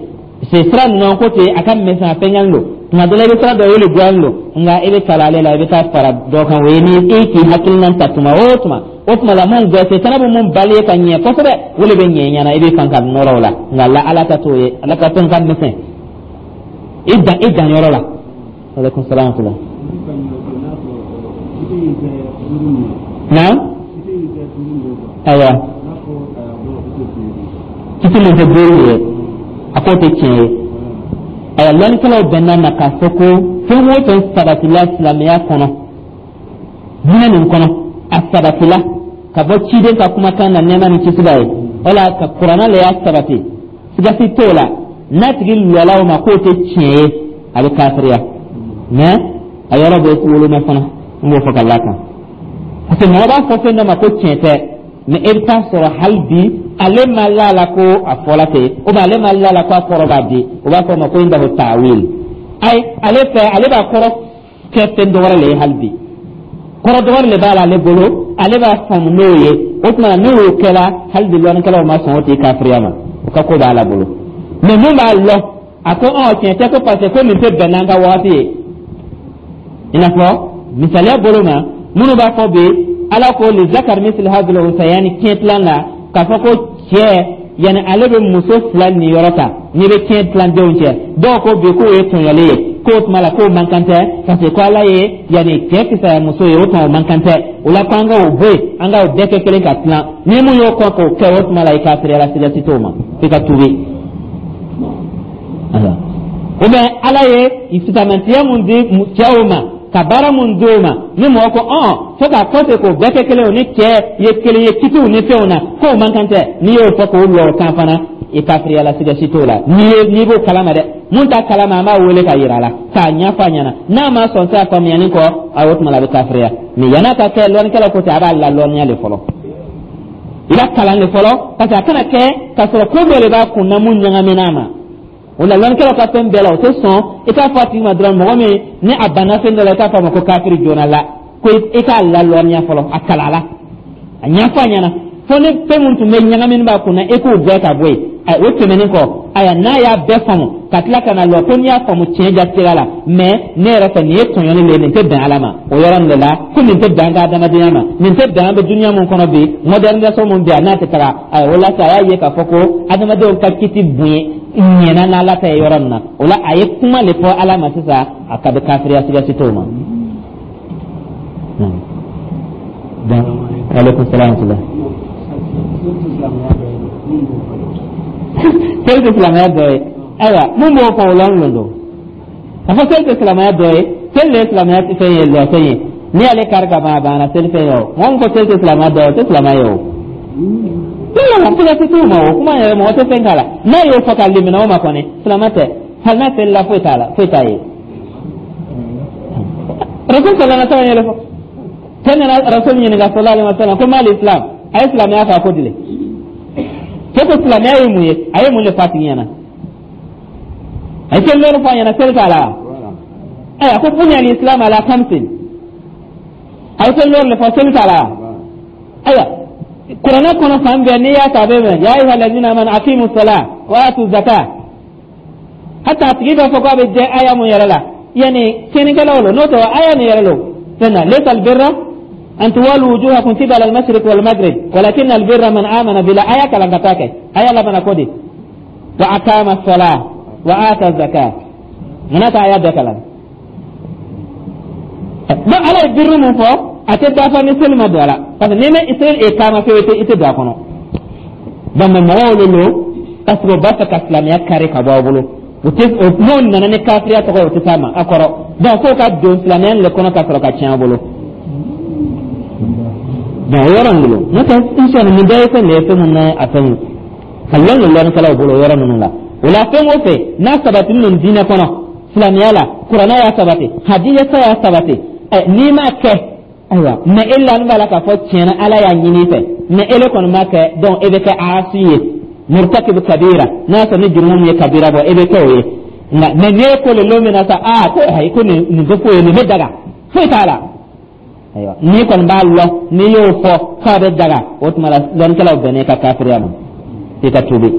Se sira ninnu ko ten, a ka misɛn, a fɛngɛn don. Tuma dɔ la, i bɛ sira dɔ ye, o le goyalen don, nka i bɛ kalan ale la, i bɛ taa fara dɔ kan. O ye ni e k'i hakilina ta tuma o tuma, o tuma la mun gɛsɛ fana bɛ mun bali ye ka ɲɛ kosɛbɛ, o de bɛ ɲɛ ɲɛna, i bɛ fan ka nɔrɔ o la. Nka la, Ala ta t'o ye, Ala ka fɛn ka misɛn, i dan i dan yɔrɔ la. Aleykum salaam wa rahmatulah. Naam, ayiwa, kiti min tɛ duuru ye, a k'o tɛ tiɲɛ ye. Ayiwa, lɔnnikɛlaw bɛnna na k'a fɔ ko fɛn o fɛn sabatila silamɛya kɔnɔ, diinɛ nin kɔnɔ, a sabatila ka bɔ ciden ka kumakan na, nɛɛma ni kisi b'a ye, wala ka Kuranɛ le y'a sabati, sigasi t'o la. N'a tigi lɔla o ma k'o tɛ tiɲɛ ye, a bɛ kafiriya. Mais a yɔrɔ bɛ woloma fana, n b'o fɔ ka l'a kan, parce que mɔgɔ b'a fɔ fɛn dɔ ma ko tiɲɛ tɛ, mais e bɛ taa sɔrɔ hali bi ale ma la la ko a fɔla ten, ou bien ale ma la la ko a kɔrɔ b'a di. O b'a fɔ o ma ko indahu taawil. Ayi, ale fɛ, ale b'a kɔrɔ kɛ fɛn dɔ wɛrɛ le ye. Hali bi kɔrɔ dɔ wɛrɛ le b'a la ale bolo, ale b'a faamu n'o ye. O tuma n'o y'o kɛla, hali bi lɔnnikɛlaw ma sɔn o tigi kafiriya ma, o ka ko b'a la bolo. Mais mun b'a lɔ a ko ɔ tiɲɛ tɛ, ko parce que ko nin tɛ bɛn n'an ka wagati ye? I n'a fɔ misaliya bolo ma, minnu b'a fɔ bi Ala ko lizakari misili hazil unsayani, tiɲɛ tilan la, k'a fɔ ko cɛ yanni ale bɛ muso fila niyɔrɔ ta n'i bɛ tiɲɛ tilan denw cɛ. Dɔw ko bi k'o ye tɔɲɔli ye, k'o tuma la k'o man kan tɛ, parce que ko Ala ye yanni cɛ fisaya muso ye, o tuma o man kan tɛ. O la, ko an ka o bɔ yen, an ka o bɛɛ kɛ kelen ka tilan. Ni mun y'o kɔn k'o kɛ, o tuma la i kafiriyala, sigasi t'o ma, f'i ka tuubi. Ou bien Ala ye fisamantiya mun di cɛw ma, ka baara mun di o ma, ni mɔgɔ ko ɔn fo k'a kɔse k'o bɛɛ kɛ kelen, o ni cɛ ye kelen ye kitiw ni fɛnw na, k'o man kan tɛ, n'i y'o fɔ k'o lɔ o kan fana, i kafiriyala, sigasi t'o la. N'i ye n'i b'o kalama dɛ, mun t'a kalama, an b'a wele ka yira a la k'a ɲɛfɔ a ɲɛna. N'a ma sɔn se a faamuyani kɔ, a o tuma la a bɛ kafiriya. Mais yann'a ka kɛ, lɔnnikɛlaw ko ten, a b'a lalɔnniya de fɔlɔ, i b'a kalan de fɔlɔ, parce que a kana kɛ k'a sɔrɔ ko dɔ de b'a kun na mun ɲagamina a ma. O la, lɔnnikɛlaw ka fɛn bɛɛ la, o tɛ sɔn i k'a fɔ a tigi ma dɔrɔn, mɔgɔ min ni a banna fɛn dɔ la, i k'a fɔ a ma ko kafiri joona la, ko i k'a lalɔnniya fɔlɔ, a kalan la, a ɲɛfɔ a ɲɛna fo ni fɛn min tun bɛ ɲagamini b'a kun na, e k'o bɛɛ ka bɔ yen. O tɛmɛnen kɔ, ayiwa, n'a y'a bɛɛ faamu ka tila ka na lɔ ko n'i y'a faamu tiɲɛ jatigɛ la, mais ne yɛrɛ fɛ, nin ye tɔɲɔni le ye, nin tɛ bɛn Ala ma, o yɔrɔ nin de la ko nin tɛ bɛn an ka adamadenya ma, nin tɛ bɛn an bɛ dunuya mun kɔnɔ bi, modernisation mun bɛ yan, n'a tɛ taga. Ayiwa, o la sa, a y'a ye k'a fɔ ko adamadenw ka kiti bonya ɲɛna n'Ala ta ye yɔrɔ min na, o la a ye kuma le fɔ Ala ma sisan, a ka bɛ kafiriya, sigasi t'o ma. Aleykum salaam wa rahmatulah. Seli tɛ silamɛya dɔ ye. Ayiwa, mun b'o fɔ, o lɔn don k'a fɔ seli tɛ silamɛya dɔ ye. Seli de ye silamɛya fɛn ye, lɔfɛn ye. N'i y'ale kari ka ban, a banna seli fɛn ye. O mɔgɔ min ko seli tɛ silamɛya dɔ ye, o tɛ silamɛ ye. O siga t'o ma, o kuma yɛrɛ, mɔgɔ tɛ fɛn k'a la. N'a y'o fɔ ka limina o ma kɔni, silamɛ tɛ. Hali n'a selila, foyi t'a la, foyi t'a ye. Rasul sallallahu alaihi wasallam yɛrɛ fɔ, cɛ nana Rasul ɲininka sallallahu alaihi wasallam ko mal islam, a ye silamɛya fɔ a ko dile. Cɛ ko silamɛya ye mun ye? A ye mun de fɔ a tigi ɲɛna? A ye seli lɔri fɔ a ɲɛna, seli t'a la. A ko buniya al-islam ala khamsin, a ye seli lɔri de fɔ, seli t'a la. Ayiwa, Kuranɛ kɔnɔ fan bɛɛ n'i y'a ta, a bɛ mɛn ya ayyuha alladhina amanu aqimu salah wa atu zakah. Hata a tigi b'a fɔ k'a bɛ jɛ aya mun yɛrɛ la, yanni tiɲɛnikɛlaw lo, n'o tɛ aya nin yɛrɛ lo fɛn na laysa albirra an tuwallu wujuhakum qibala al-mashriq wal maghrib walakin albirra man amana billah. Aya kalan ka taa kɛ aya labanna ko di wa aqama as-salah wa ata zakah. Munna ta aya bɛɛ kalan? Donc Ala ye birru mun fɔ, a tɛ dafa ni seli ma don a la, parce que n'i ma seli iqama fewu, i tɛ don a kɔnɔ. Donc mais mɔgɔw de lo, parce que u b'a fɛ ka silamɛya kari ka bɔ aw bolo. O tɛ n'o nana ni kafiriya tɔgɔ ye, o tɛ s'a ma a kɔrɔ. Donc k'o ka don silamɛya le kɔnɔ ka sɔrɔ ka tiɲɛ a bolo. Donc o yɔrɔ nin bolo, n'o tɛ, inshallah, nin bɛɛ ye fɛn de ye, fɛn mun na a fɛn ye ka lɔn don lɔnnikɛlaw bolo o yɔrɔ ninnu la. O la, fɛn o fɛn n'a sabatilen don diinɛ kɔnɔ, silamɛya la, kuranɛ y'a sabati, hadisa y'a sabati, ɛ n'i m'a kɛ, ayiwa, mais e lani b'a la k'a fɔ tiɲɛna Ala y'a ɲini i fɛ, mais ele kɔni m'a kɛ, donc e bɛ kɛ asi ye, murtakibu kabira. N'a y'a sɔrɔ ni jurumu min ye kabira bɔ, e bɛ kɛ o ye. Nka mais n'e ko le lon min na sa, aa, ko ayi, ko nin tɛ foyi ye, nin bɛ daga, foyi t'a la, ayiwa, n'i kɔni b'a lɔn, n'i y'o fɔ k'a bɛ daga, o tuma la lɔnnikɛlaw bɛnna i ka kafiriya ma, i ka tuubi.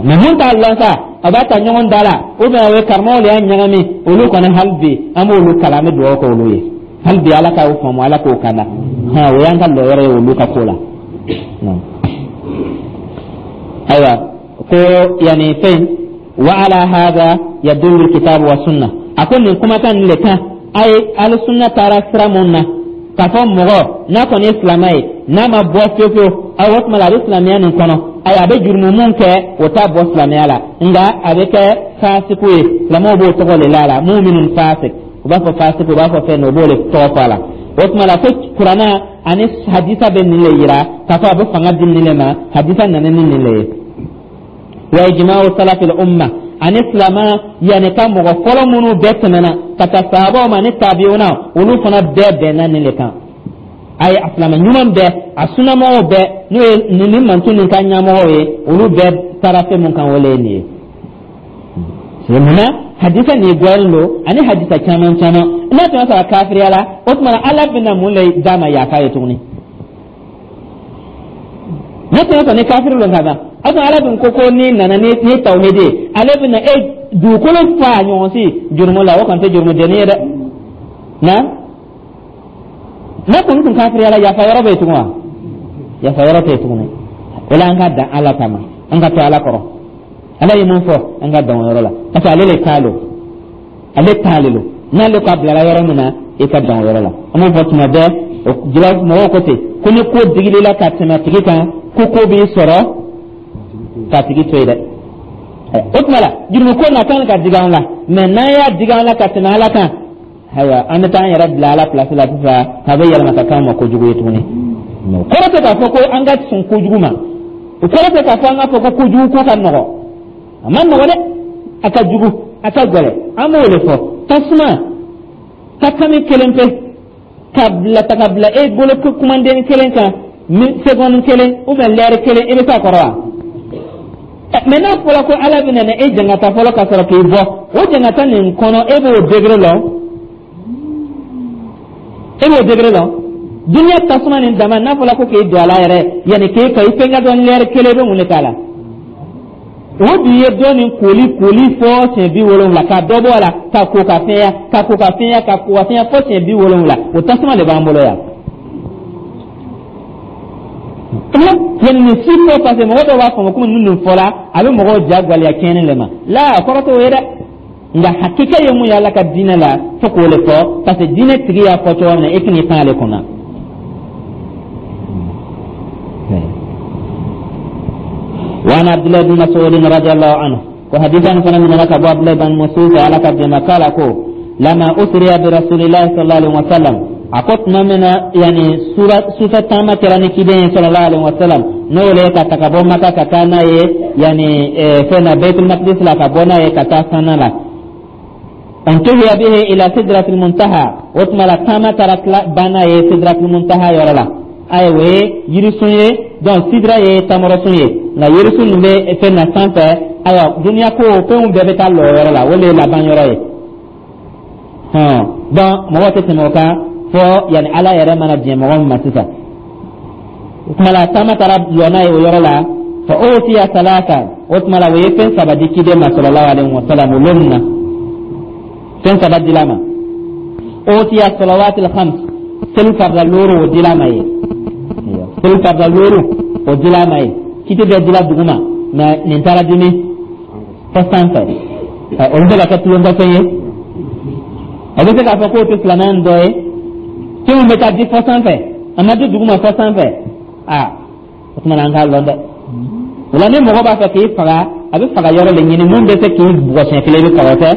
Mais mun t'a lɔn sa, a b'a ta ɲɔgɔn da la, ou bien o ye karamɔgɔw de y'a ɲagami, olu kɔni, hali bi an b'olu kalan, an bɛ dugawu kɛ olu ye hali bi, Ala k'aw faamu, Ala k'o kanda. Hɔn, o y'an ka lɔyɔrɔ ye olu ka ko la. Ayiwa, ko yani fɛn wa ala hada yadullu alkitabu wa sunna. A ko nin kumakan nin le kan a ye alisunna taara sira mun na, k'a fɔ mɔgɔ n'a kɔni ye silamɛ ye, n'a ma bɔ fiyewu fiyewu, ayiwa, o tuma la a bɛ silamɛya nin kɔnɔ. Ayiwa, a bɛ jurumu mun kɛ, o t'a bɔ silamɛya la, nka a bɛ kɛ fasiku ye. Silamɛw b'o tɔgɔ le la a la, muminun fasik, u b'a fɔ fasiku, u b'a fɔ fɛn dɔ, u b'o le tɔgɔ fɔ a la. O tuma la ko kuranna ani hadisa bɛ nin le yira k'a fɔ a bɛ fanga di nin le ma. Hadisa nana ni nin le ye. Wa ijma'u salafil umma, ani silama yanni ka mɔgɔ fɔlɔ minnu bɛɛ tɛmɛna ka taa sahabaw ma ni tabi'una, olu fana bɛɛ bɛnna nin le kan. A ye a silama ɲuman bɛɛ, a sunnamɔgɔw bɛɛ, n'o ye nin mantu nin ka ɲɛmɔgɔw ye, olu bɛɛ taara fɛn mun kan, o le ye nin ye. Munna hadisa nin gɔyalen don ani hadisa caman caman? N'a tun y'a sɔrɔ a kafiriya la, o tuma na Ala bɛna mun le d'a ma yafa ye tuguni? N'a tun y'a sɔrɔ ni kafiri don ka ban, a tun Ala dun ko ko n'i nana ni tawhidi ye, ale bɛna e dugukolo fa ɲɔgɔn si jurumu la, o kɔni tɛ jurumu denni ye dɛ. Na n'a kɔni tun kafiriya la, yafa yɔrɔ bɛ yen tugun wa? Yafa yɔrɔ tɛ yen tuguni. O la, an ka dan Ala ta ma, an ka to Ala kɔrɔ. Ala ye mun fɔ, an ka dan o yɔrɔ la, parce que ale le ta lo, ale ta le lo. N'ale ko a bilara yɔrɔ min na, i ka dan o yɔrɔ la. An b'o fɔ tuma bɛɛ, o jila mɔgɔw ko ten ko ni ko digil'i la ka tɛmɛ tigi kan, ko ko b'i sɔrɔ k'a tigi to yen dɛ. O tuma la, jurumu ko na kan ka digi an la, mais n'an y'a digi an la ka tɛmɛ Ala kan, ayiwa, an bɛ taa an yɛrɛ bila Ala place la sisan, k'a bɛ yɛlɛma ka k'an ma kojugu ye tuguni. O kɔrɔ tɛ k'a fɔ ko an ka sɔn kojugu ma, o kɔrɔ tɛ k'a fɔ an k'a fɔ ko kojugu ko ka nɔgɔ. A ma nɔgɔ dɛ, a ka jugu, a ka gɛlɛn. An b'o de fɔ, tasuma ka kami kelen pe ka bila ta ka bila e bolo kumanden kelen kan, seconde kelen ou bien lɛri kelen, i bɛ s'a kɔrɔ wa? Mais n'a fɔra ko Ala bɛna na e jangata fɔlɔ ka sɔrɔ k'i bɔ o jangata nin kɔnɔ, e b'o degré lɔn, e b'o degré lɔn. Duniya tasuma nin dama, n'a fɔra ko k'e don a la yɛrɛ, yanni k'e ka i fɛn ka dɔn lɛri kelen, i bɛ mun de k'a la? O dun ye dɔ nin koli koli fɔ siɲɛ 70, ka dɔ bɔ a la, ka ko ka fɛnya, ka ko ka fɛnya, ka ko ka fɛnya fɔ siɲɛ 70. O tasuma de b'an bolo yan. Yanni nin si fɔ, parce que mɔgɔ dɔw b'a faamu komi ni nin fɔla, a bɛ mɔgɔw ja gwaleya tiɲɛni le ma la. A kɔrɔ t'o ye dɛ, nka hakika ye mun ye Ala ka diinɛ la, fo k'o le fɔ, parce que diinɛ tigi y'a fɔ cogo min na, e kan'i pan ale kunna. وعن عبد الله بن مسعود رضي الله عنه، وحديثا فانا من لك ابو عبد الله بن مسعود على كبد قال كو لما اسري برسول الله صلى الله عليه وسلم، a ko tuma min na yani sufɛ taama kɛra ni ciden sallallahu alaihi wasallam, n'o le ka ta ka bɔ Maka ka taa n'a ye yani fɛn na Baitul Maqdis la, ka bɔ n'a ye ka taa sanna la, untuhiya bihi ila sidratil muntaha, o tuma la taama taara tila ban n'a ye sidratil muntaha yɔrɔ la. Ayi, o ye yirisun ye. Donc sidra ye tamarasun ye, nka yirisun nin bɛ fɛn na sanfɛ. Ayiwa, duniya ko fɛnw bɛɛ bɛ taa lɔ yɔrɔ la, o de ye laban yɔrɔ ye. Hɔn, donc mɔgɔ tɛ tɛmɛ o kan fɔ yanni Ala yɛrɛ mana diɲɛ mɔgɔ min ma sisan. O tuma la taama taara lɔ n'a ye o yɔrɔ la. Fa utiya salasa, o tuma la o ye fɛn saba di ciden ma sallallahu alaihi wa sallam. O lon na fɛn saba dila ma. Utiya salawatil khams, seli farida looru, o dila ma ye. Seli farida looru, o dila ma ye. Kiti bɛɛ dila duguma, mais nin taara di min fɔ sanfɛ, o bɛ se ka kɛ tulonkɛfɛn ye, o bɛ se k'a fɔ k'o tɛ silamɛya dɔ ye. Fɛnw bɛ taa di fɔ sanfɛ, a ma di duguma fɔ sanfɛ. Aa, o tuma na an k'a lɔn dɛ. O la, ni mɔgɔ b'a fɛ k'i faga A bɛ faga yɔrɔ de ɲini mun bɛ se k'i bugɔ siɲɛ kelen, i bɛ faga. O tɛ?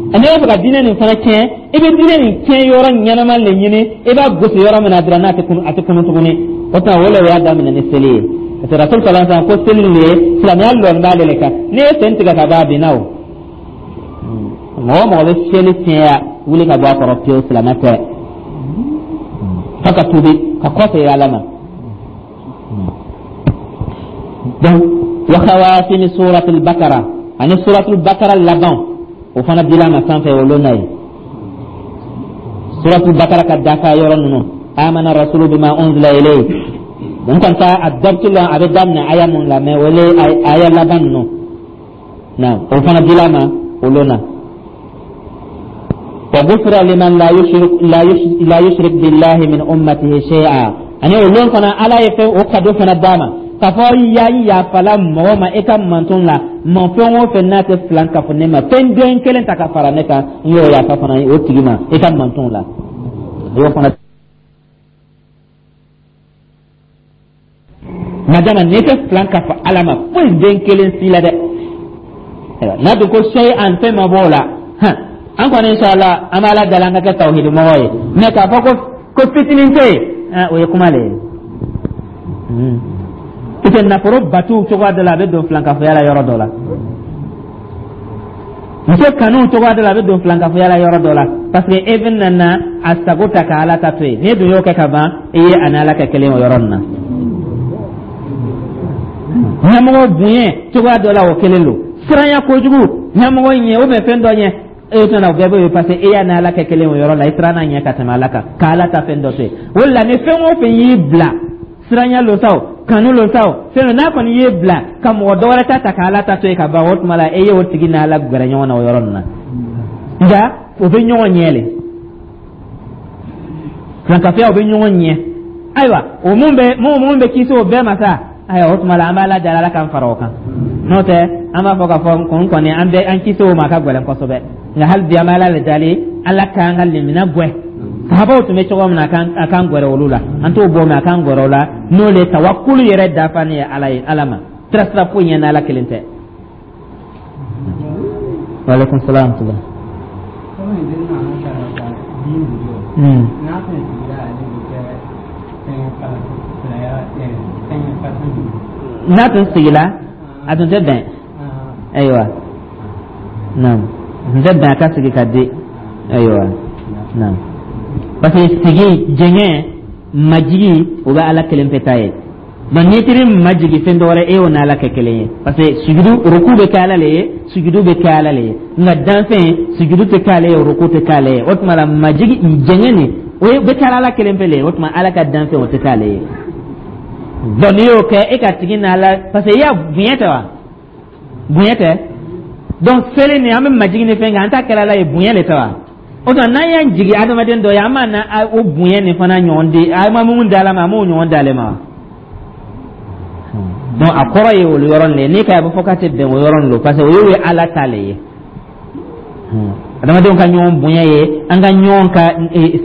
N'i b'a fɛ ka diinɛ nin fana tiɲɛ, i bɛ diinɛ nin tiɲɛ yɔrɔ ɲɛnama de ɲini, i b'a gosi yɔrɔ min na dɔrɔn, n'a tɛ kunu, a tɛ kunu tuguni. O tuma, o le y'a daminɛ ni seli ye, parce que Rasul sallallahu alaihi wasallam ko seli nin ye silamɛya lɔnni b'ale le kan. N'i ye sen tigɛ ka ban, a binna. O mɔgɔ o mɔgɔ bɛ seli tiɲɛya, wuli ka bɔ a kɔrɔ pewu, silamɛ tɛ, f'a ka tuubi ka kɔsegin Ala ma. Donc wa khawatimi suratul Bakara, ani suratul Bakara laban, o fana dila ma sanfɛ o lon na ye. Suratul Bakara ka dafa yɔrɔ ninnu, amana rasulu bima unzila ilayhi, n kɔni t'a a dabtu la, a bɛ daminɛ aya mun la, mais o le aya laban ninnu na, o fana dila ma o lon na. Wa gufira liman la yushrik la yushrik billahi min ummatihi shay'a, ani o lon fana, Ala ye fɛn o kado fana d'a ma k'a fɔ ya yafala mɔgɔ ma e ka manton la, ma fɛn o fɛn n'a tɛ filan kafo ne ma, fɛn den kelen ta ka fara ne kan, n y'o yafa fana o tigi ma e ka manton la, o y'o fana. Madama n'i tɛ filan kafo Ala ma foyi den kelen si la dɛ, n'a dun ko sɛyi an fɛn ma bɔ o la hɔn, an kɔni, inshallah, an b'Ala dali an ka kɛ tawhidi mɔgɔ ye, mais k'a fɔ ko fitinin tɛ yen, o ye kuma le ye. Parce que nafolo batu cogoya dɔ la, a bɛ don filankafoya la yɔrɔ dɔ la. Muso kanu cogoya dɔ la, a bɛ don filankafoya la yɔrɔ dɔ la, parce que e bɛ na a sago ta ka Ala ta to yen. N'e dun y'o kɛ ka ban, i ye a ni Ala kɛ kelen o yɔrɔ nin na. Ɲɛmɔgɔ bonya cogoya dɔ la, o kelen don. Siranya kojugu ɲɛmɔgɔ ɲɛ ou bien fɛn dɔ ɲɛ, e tɛna o bɛɛ bɛ yen, parce que e y'a ni Ala kɛ kelen o yɔrɔ la. I siranna ɲɛ ka tɛmɛ Ala kan ka Ala ta fɛn dɔ to yen. O de la, ni fɛn o fɛn y'i bila, siranya lo sa o, kanu lo sa o, fɛn dɔ n'a kɔni y'i bila ka mɔgɔ dɔ wɛrɛ ta ta ka Ala ta to yen ka ban, o tuma la e ye o tigi n'Ala gɛrɛ ɲɔgɔn na o yɔrɔ nin na. Nka o bɛ ɲɔgɔn ɲɛ le, filankafoya o bɛ ɲɔgɔn ɲɛ. Ayiwa, o mun bɛ kisi o bɛɛ ma sa? Ayiwa, o tuma la an b'Ala deli, Ala k'an fara o kan. N'o tɛ, an b'a fɔ k'a fɔ kun kɔni an bɛ an kisi o ma, a ka gɛlɛn kosɛbɛ. Nka hali bi an bɛ Ala le dali, Ala k'an ka limina gwɛ sahabaw tun bɛ cogo min na, a k'an gwɛrɛ olu la. An t'o bɔ, mais a k'an gwɛrɛ o la. N'o le tawakulu yɛrɛ dafani ye Ala ye, Ala ma sira sira foyi ɲɛ n'Ala kelen tɛ. Waaleykum salaam. N'a tun sigila, a tun tɛ bɛn. Ayiwa, naam, a tun tɛ bɛn a ka sigi ka di. Ayiwa, naam, parce que sigi, jɛngɛ, majigi, o bɛ Ala kelen pe ta ye. Donc n'i taar'i majigi fɛn dɔ wɛrɛ, e y'o n'Ala kɛ kelen ye, parce que sujudu, ruku bɛ kɛ Ala le ye, sujudu bɛ kɛ Ala le ye. Nka danfɛn, sujudu tɛ k'ale ye, ruku tɛ k'ale ye. O tuma la, majigi, jɛngɛ nin, o ye bɛ kɛ Ala kelen pe le ye. O tuma, Ala ka danfɛn, o tɛ k'ale ye. Donc n'i y'o kɛ, e ka tigi n'Ala, parce que i y'a bonya tɛ wa? Bonya tɛ? Donc seli nin, an bɛ majigi ni fɛn kɛ, an t'a kɛra Ala ye, bonya le tɛ wa? O tuma, n'an y'an jigi adamaden dɔ ye, an b'a na o bonya nin fana ɲɔgɔn di, an ma mun di Ala ma, an m'o ɲɔgɔn di ale ma wa? Donc a kɔrɔ ye olu yɔrɔ nin ye. N'i ka a bɛ fɔ k'a tɛ bɛn o yɔrɔ nin don, parce que o y'o ye Ala ta le ye. Adamadenw ka ɲɔgɔn bonya ye an ka ɲɔgɔn ka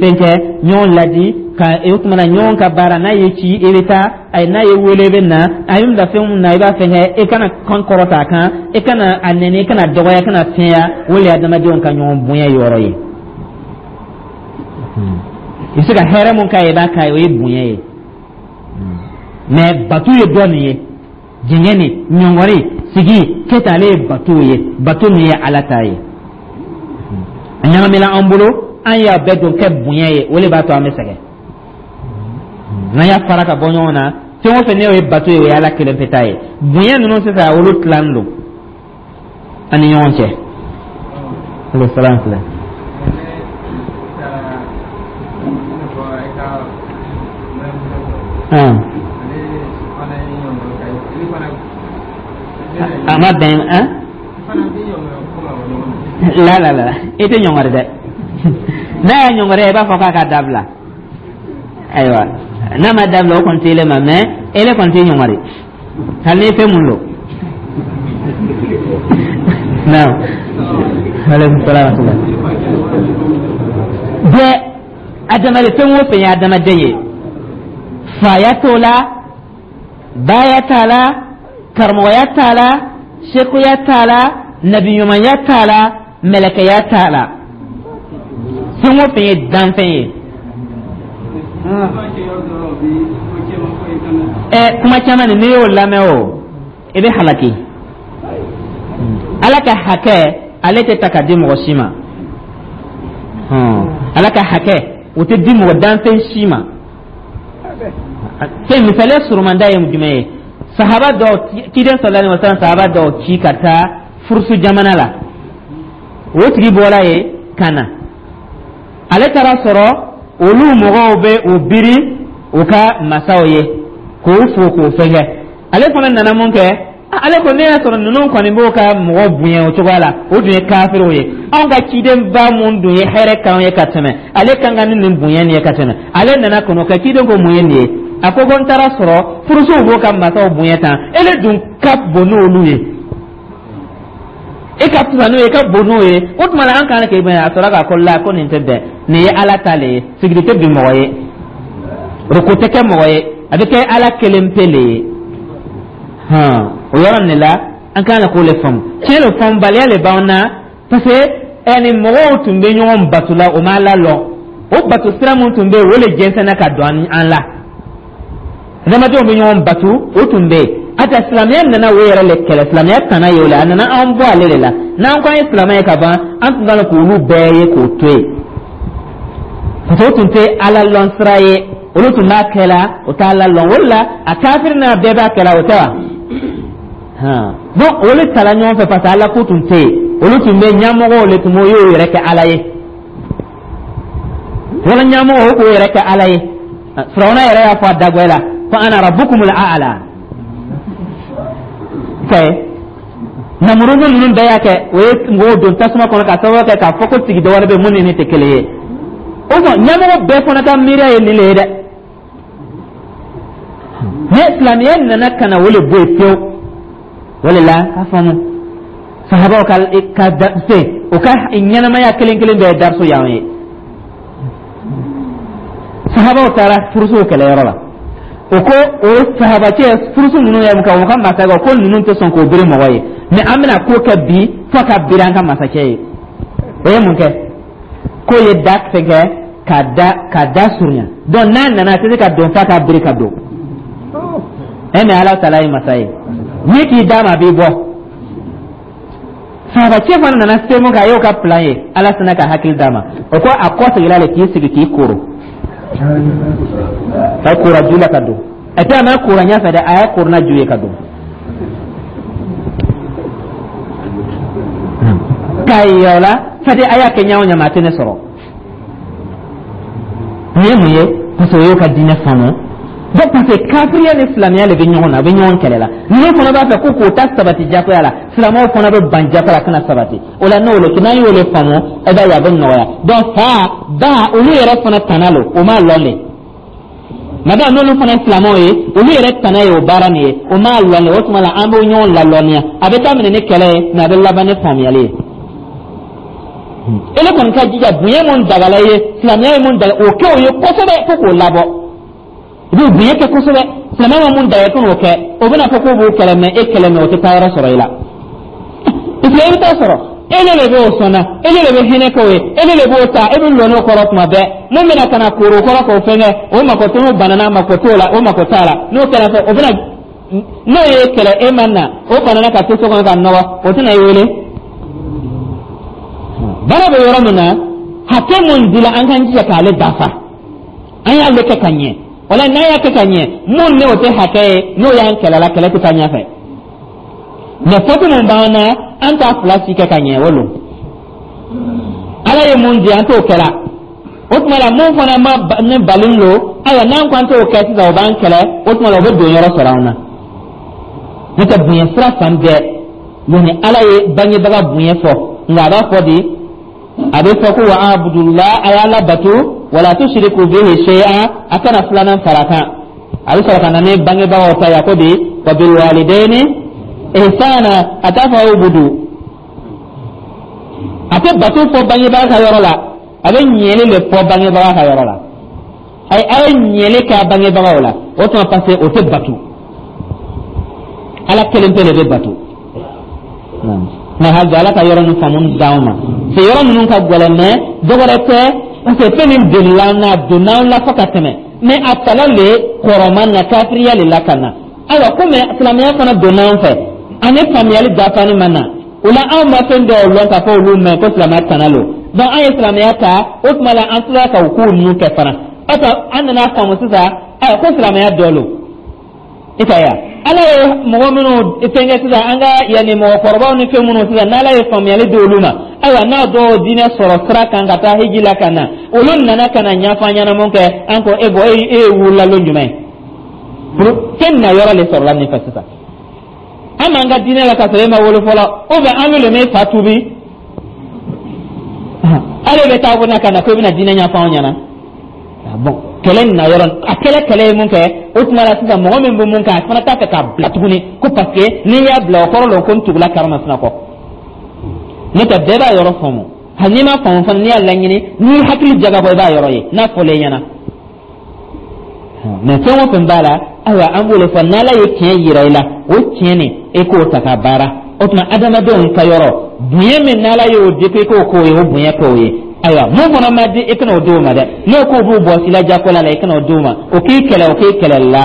fɛn kɛ, ɲɔgɔn ladi ka o tuma na ɲɔgɔn ka baara. N'a ye ci, i bɛ taa. Ayi, n'a ye wele, i bɛ na. A ye bila fɛn mun na, i b'a fɛn kɛ. E kana kan kɔrɔta a kan, e kana a nɛni, e kana dɔgɔya, e kana fiɲɛya. O de ye adamadenw ka ɲɔgɔn bonya yɔrɔ ye. I bɛ se ka hɛrɛ mun k'a ye, i b'a k'a ye, o ye bonya ye. Mais bato ye dɔ nin ye, jɛngɛ ni ɲɔngɔri sigi kɛta, ale ye bato ye, bato min ye Ala ta ye. A ɲagamina an bolo, an y'a bɛɛ don kɛ bonya ye, o de b'a to an bɛ sɛgɛn. N'an y'a fara ka bɔ ɲɔgɔn na, fɛn o fɛn n'o ye bato ye, o ye Ala kelen pe ta ye. Bonya ninnu sisan, olu tilan don an ni ɲɔgɔn cɛ. Ale salam filɛ. A ma bɛn an la la la, i tɛ ɲɔngɔri dɛ. N'a y'a ɲɔngɔri, i b'a fɔ k'a ka dabila. Ayiwa, n'a ma dabila, o kɔni tɛ ele ma, mais ele kɔni tɛ ɲɔngɔri hali ni fɛn mun don. Naam, aleykum salaam wa rahmatulah. Bɛɛ adamaden, fɛn o fɛn ye adamaden ye, faya t'o la, baya t'a la, karamɔgɔya t'a la, Sekuya t'a la, nabiɲumanya t'a la, mɛlɛkɛya t'a la, fɛn o fɛn ye danfɛn ye. Ɛ, kuma caman nin, n'i y'o lamɛn, o i bɛ halaki. Ala ka hakɛ, ale tɛ ta ka di mɔgɔ si ma. Ala ka hakɛ, o tɛ di mɔgɔ danfɛn si ma. Fɛn misaliya surumanda ye jumɛn ye? Sahaba dɔw, ciden sallallahu alaihi wasallam sahaba dɔw ci ka taa Furusu jamana la. O tigi bɔra yen ka na, ale taara sɔrɔ olu mɔgɔw bɛ o biri u ka masaw ye k'o fo k'o fɛnkɛ. Ale fana nana mun kɛ? Ale ko ne y'a sɔrɔ ninnu kɔni b'o ka mɔgɔ bonya o cogoya la, o dun ye kafiriw ye. Anw ka cidenba mun dun ye hɛrɛ k'anw ye ka tɛmɛ, ale kan ka ni nin bonya nin ye ka tɛmɛ. Ale nana kɔnɔ ka ciden ko mun ye nin ye? A ko ko n taara sɔrɔ furusow b'o ka masaw bonya tan, ele dun ka bon n'olu ye, e ka fisa n'o ye, e ka bon n'o ye. O tuma la, an kan k'e bonya. A sɔrɔ k'a ko la, ko nin tɛ bɛn, nin ye Ala ta le ye. Sigili tɛ bin mɔgɔ ye, roko tɛ kɛ mɔgɔ ye, a bɛ kɛ Ala kelen pe le ye. Hɔn, o yɔrɔ nin la, an kan ka k'o le faamu. Tiɲɛ don, faamubaliya le b'an na, parce que ɛni mɔgɔw tun bɛ ɲɔgɔn bato la, o ma Ala lɔn. O bato sira mun tun bɛ yen, o le jɛnsɛnna ka don an la. Adamadenw bɛ ɲɔgɔn bato, o tun bɛ yen. Ata silamɛya nana o yɛrɛ le kɛlɛ. Silamɛya tana ye o la, a nana an bɔ ale de la. N'an ko an ye silamɛ ye ka ban, an tun kan k'olu bɛɛ ye k'o to yen, parce que o tun tɛ Ala lɔn sira ye. Olu tun b'a kɛ la, o t'a la lɔn. O de la, a kafiri n'a bɛɛ b'a kɛ la, o tɛ wa? Bon, olu tala ɲɔgɔn fɛ, parce que Ala ko tun tɛ yen. Olu tun bɛ ɲɛmɔgɔw le tun b'o y'o yɛrɛ kɛ Ala ye, wala ɲɛmɔgɔ o k'o yɛrɛ kɛ Ala ye. Firawuna yɛrɛ y'a fɔ a dagbɛ la ko ana rabbukumul a'la. Kɛ Namuruzu ninnu bɛɛ y'a kɛ, o ye mɔgɔw don tasuma kɔnɔ ka sababu kɛ k'a fɔ ko tigi dɔ wɛrɛ bɛ mun ni ne tɛ kelen ye. O sɔn ɲɛmɔgɔ bɛɛ fana ka miiriya ye nin le ye dɛ. Ne silamɛya nana ka na o le bɔ yen pewu. O de la, k'a faamu, sahabaw ka se o ka ɲɛnamaya kelen kelen bɛɛ ye dariso y'anw ye. Sahabaw taara furusow kɛlɛyɔrɔ la. O ko o sahabacɛ furuso ninnu ye mun kɛ o ka masakɛ ko ninnu tɛ sɔn k'o biri mɔgɔ ye, mais an bɛna ko kɛ bi fo ka biri an ka masakɛ ye. O ye mun kɛ? K'o ye da fɛnkɛ ka da surunya. Donc n'a nana, a tɛ se ka don f'a ka biri ka don. E mais Ala taala ye masa ye, n'i k'i d'a ma, a b'i bɔ. Sahabacɛ fana nana se mun kɛ, a y'o ka plan ye. Ala sina ka hakili d'a ma. O ko a kɔ seginna le k'i sigi k'i koro ka kora ju la ka don. A tɛ a ma kora ɲɛfɛ dɛ, a y'a korona ju ye ka don k'a ye o la. Fadi a y'a kɛ ɲa o ɲa ma, a tɛ ne sɔrɔ. Nin ye mun ye? Parce que o y'o ka diinɛ faamu. Donc parce que kafiriya ni silamɛya de bɛ ɲɔgɔn na, a bɛ ɲɔgɔn kɛlɛ la. Ninnu fana b'a fɛ ko k'o ta sabati jagoya la, silamɛw fana bɛ ban jagoya la, kana sabati o la. N'o le n'an y'o le faamu, e b'a ye a bɛ nɔgɔya. Donc fa ba, olu yɛrɛ fana tana lo, o m'a lɔn de. Mada n'olu fana ye silamɛw ye, olu yɛrɛ tana ye o baara nin ye, o m'a lɔn de. O tuma la, an bɛ ɲɔgɔn lalɔnniya. A bɛ daminɛ ni kɛlɛ ye, mais a bɛ laban ni faamuyali ye. Ele kɔni ka jija, bonya mun dagala ye, silamɛya ye mun daga, o kɛ o ye kosɛbɛ fo k'o labɔ. I b'o bonya kɛ kosɛbɛ. Silamɛya ma mun daga, i kan'o kɛ. O bɛna fɔ k'o b'o kɛlɛ, mais e kɛlɛ, mais o tɛ taa yɔrɔ sɔrɔ i la, parce que i bɛ taa sɔrɔ ele de b'o sɔnna, ele de bɛ hinɛ k'o ye, ele de b'o ta, e bɛ lɔn'o kɔrɔ tuma bɛɛ. Mun bɛna ka na koro kɔrɔ k'o fɛnkɛ, o mako t'o, n'o banana, mako t'o la, o mako t'a la. N'o kɛra fɛ, o bɛna n'o ye kɛlɛ, e ma na, o banana ka to so kɔnɔ ka nɔgɔ, o tɛna i wele. Baara bɛ yɔrɔ min na, hakɛ mun dila an k'an jija k'ale dafa, an y'ale kɛ ka ɲɛ. O la, n'an y'a kɛ ka ɲɛ, mun ni o tɛ hakɛ ye, n'o y'an kɛlɛ la, kɛlɛ tɛ taa ɲɛfɛ. Mais faute mun b'an na, an t'a fila si kɛ ka ɲɛ. O lo Ala ye mun di, an t'o kɛla. O tuma la, mun fana ma ne balen lo, ayiwa, n'an ko an t'o kɛ sisan, o b'an kɛlɛ. O tuma la, o bɛ don yɔrɔ sɔrɔ an na. N'o tɛ, bonya sira fan bɛɛ, yanni Ala ye bangebaga bonya fɔ, nka a b'a fɔ di? A bɛ fɔ ko wa abudula, a y'Ala bato, wala tushriku bihi shay'a, a kana filanan fara kan. A bɛ sɔrɔ ka na ni bangebagaw ta ye. A ko di? Wa bil walidayni ihsana. A t'a fɔ ubudu, a tɛ bato fɔ bangebaga ka yɔrɔ la, a bɛ ɲɛli de fɔ bangebaga ka yɔrɔ la. Ayi, a ye ɲɛli kɛ a bangebagaw la. O tuma, parce que o tɛ bato, Ala kelen pe de bɛ bato. Mais hali bi, Ala ka yɔrɔ ninnu faamu d'anw ma. Se yɔrɔ ninnu ka gɛlɛn, mais dɔ wɛrɛ tɛ, parce que fɛn min delila an na, a donna an la fo ka tɛmɛ, mais a tala le kɔrɔman na, kafiriya le la ka na. Ayiwa, komi silamɛya fana donna an fɛ, ani faamuyali dafani ma na o la, anw ma fɛn dɔw lɔn k'a fɔ olu mɛn ko silamɛya tana lo. Donc an ye silamɛya ta, o tuma la an tilala ka o kow ninnu kɛ fana. O an nana faamu sisan, ayiwa, ko silamɛya dɔ lo. I ka ya Ala ye mɔgɔ minnu fɛnkɛ sisan, an ka yanni mɔgɔkɔrɔbaw ni fɛn minnu sisan, n'Ala ye faamuyali di olu ma, ayiwa, n'a dɔw diinɛ sɔrɔ sira kan ka taa hiji la ka na, olu nana ka na ɲɛfɔ an ɲɛna mun kɛ, an ko e bɔ e ye wulila lon jumɛn fɛn na yɔrɔ le sɔrɔla nin fɛ sisan. An m'an ka diinɛ la ka sɔrɔ e ma wolo fɔlɔ, ou bien an le m'e fa tuubi, ale bɛ taa ko na ka na ko i bɛna diinɛ ɲɛfɔ anw ɲɛna. Bon, kɛlɛ nin na yɔrɔ a kɛlɛ kɛlɛ ye mun kɛ o tuma la sisan, mɔgɔ min bɛ mun kɛ, a fana t'a fɛ k'a bila tuguni, ko parce que n'i y'a bila, o kɔrɔ la ko n tugula karimasina kɔ. N'o tɛ, bɛɛ b'a yɔrɔ faamu. Hali n'i ma faamu fana, n'i y'a laɲini, n'i hakili jagabɔ, i b'a yɔrɔ ye n'a fɔlen ɲɛna. Mais fɛn o fɛn b'a la, ayiwa, an b'o de fɔ: n'Ala ye tiɲɛ yira i la, o tiɲɛ nin, e k'o ta ka baara. O tuma adamadenw ka yɔrɔ bonya min n'Ala y'o di ko i k'o k'o ye, o bonya k'o ye. Ayiwa, mun fana ma di, i kana o d'o ma dɛ. N'o k'o b'u bɔ sila jakola la, i kana o d'o ma. O k'i kɛlɛ, o k'i kɛlɛ la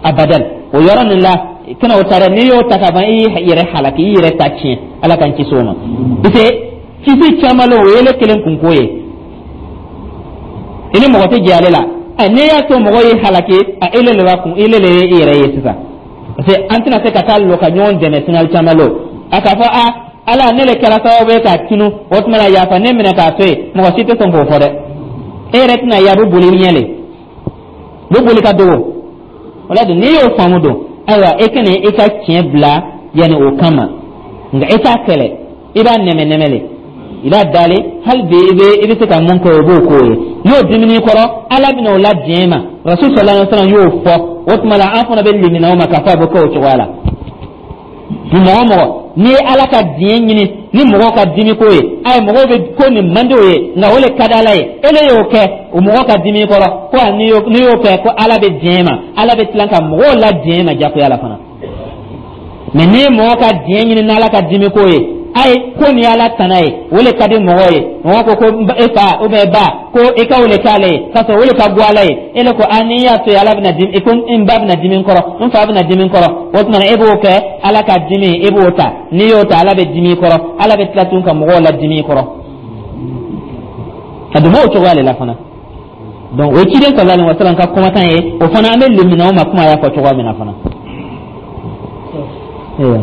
abadan, o yɔrɔ nin la, i kana o ta dɛ. N'i y'o ta ka ban, i yɛrɛ halaki, i yɛrɛ ta tiɲɛ. Ala k'an kisi o ma, parce que kisi caman la, o ye ele kelen kunko ye, i ni mɔgɔ tɛ jɛ ale la. Ɛ, n'i y'a to mɔgɔ y'i halaki, a ele le b'a kun, ele le ye i yɛrɛ ye sisan, parce que an tɛna se ka taa lɔ ka ɲɔgɔn dɛmɛ sinali caman lo. A k'a fɔ: a Ala, ne le kɛra sababu ye k'a tunu, o tuma la yafa ne minɛ k'a to yen. Mɔgɔ si tɛ sɔn k'o fɔ dɛ. E yɛrɛ tɛna ye, a bɛ boli i ɲɛ le, bɛ boli ka dogo. O la dun, n'i y'o faamu don, ayiwa, e kana i ka tiɲɛ bila yanni o kama, nka e t'a kɛlɛ, i b'a nɛmɛ nɛmɛ le, i b'a dalen. Hali bi i bɛ se ka mun kɛ, o b'o k'o ye. N'o dimini kɔrɔ, Ala bɛna o la diɲɛ ma. Rasul sallallahu alaihi wasallam y'o fɔ. O tuma la an fana bɛ limina o ma k'a fɔ a bɛ kɛ o cogoya la. Ni mɔgɔ mɔgɔ n'i ye Ala ka diɲɛ ɲini ni mɔgɔw ka dimi ko ye, ayi, mɔgɔw bɛ ko nin man di o ye, nka o le ka di Ala ye, e le y'o kɛ o mɔgɔ ka dimi kɔrɔ, ko n'i y'o kɛ, ko Ala bɛ diɲɛ ma, Ala bɛ tila ka mɔgɔw la diɲɛ ma jagoya la fana. Mais n'i ye mɔgɔ ka diɲɛ ɲini n'Ala ka dimi ko ye, ayi, ko nin ye Ala tana ye, o le ka di mɔgɔw ye, mɔgɔ ko ko e fa ou bien ba ko i ka o le k'ale ye, k'a sɔrɔ o le ka go Ala ye, e le ko a n'i y'a to yen, Ala bɛna dimi, ko n ba bɛna dimi n kɔrɔ, n fa bɛna dimi n kɔrɔ. O tuma na e b'o kɛ, Ala ka dimi, e b'o ta. N'i y'o ta, Ala bɛ dimi i kɔrɔ, Ala bɛ tila tun ka mɔgɔw la dimi i kɔrɔ ka don o cogoya de la fana. Donc o ye ciden sallallahu alaihi wasallam ka kumakan ye. O fana, an bɛ lemina o ma kuma y'a fɔ cogoya min na fana. Ayiwa.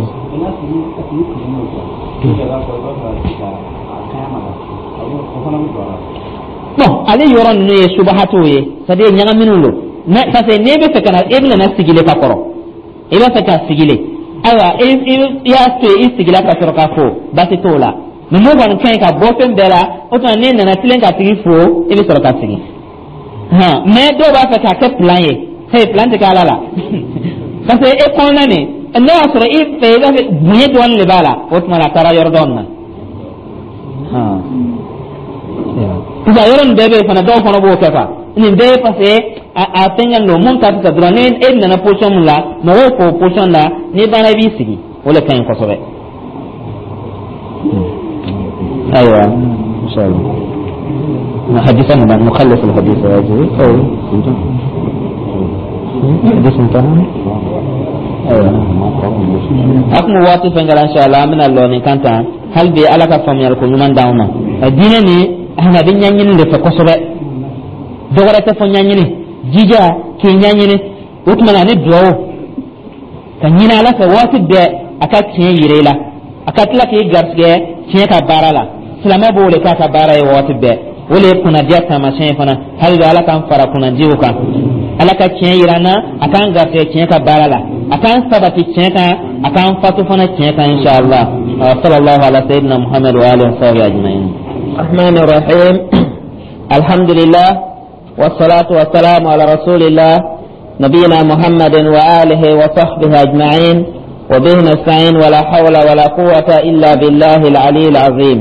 Bon, ale yɔrɔ ninnu ye subahatiw ye, c'est à dire ɲagaminiw don. Mais parce que n'e bɛ fɛ ka na, e bɛna na sigile ka kɔrɔ, i b'a fɛ ka sigile, ayiwa, i y'a to yen, i sigila ka sɔrɔ ka fo, baasi t'o la. Mais mun kɔni ka ɲi ka bɔ fɛn bɛɛ la, o tuma n'e nana tilen ka tigi fo, i bɛ sɔrɔ ka sigi hɔn. Mais dɔw b'a fɛ k'a kɛ plan ye. Hey, plan tɛ kɛ Ala la, parce que e kɔnɔna nin, n'o y'a sɔrɔ i fɛ, i b'a fɛ bonya dɔɔnin de b'a la, o tuma na a taara yɔrɔ dɔɔnin na. Sisan yɔrɔ nin bɛɛ bɛ yen fana, dɔw fana b'o kɛ quoi. Nin bɛɛ ye parce que a fɛngɛ don mun ka fisa dɔrɔn, ni e nana position mun la, mɔgɔw k'o position la, n'i banna, i b'i sigi, o de ka ɲi kosɛbɛ. Ayiwa, inshallah. حديثا نخلص الحديث هذه أو حديث انتهى. Ayiwa, a kun waati fɛn kɛra, inshallah an bɛna lɔ nin kan tan. Hali bi, Ala ka faamuyali ko ɲuman d'anw ma. Diinɛ nin, a bɛ ɲɛɲini de fɛ kosɛbɛ, dɔ wɛrɛ tɛ fɔ ɲɛɲini, jija k'i ɲɛɲini. O tuma na ni duwawu ka ɲini Ala fɛ waati bɛɛ, a ka tiɲɛ yira i la, a ka tila k'i garisɛgɛ tiɲɛ ka baara la. Silamɛ b'o de k'a ka baara ye waati bɛɛ, o de ye kunnadiya taamasiyɛn ye fana. Hali bi, Ala k'an fara kunnadiw kan. Ala ka tiɲɛ yira an na, a k'an garisɛgɛ tiɲɛ ka baara la, a k'an sabati tiɲɛ kan, a k'an fatu fana tiɲɛ kan, inshallah. Sallallahu ala sayyidina Muhammad wa alihi wa sahbihi ajma'in. الرحمن الرحيم. الحمد لله والصلاة والسلام على رسول الله نبينا محمد وآله وصحبه أجمعين، وبه نستعين، ولا حول ولا قوة إلا بالله العلي العظيم.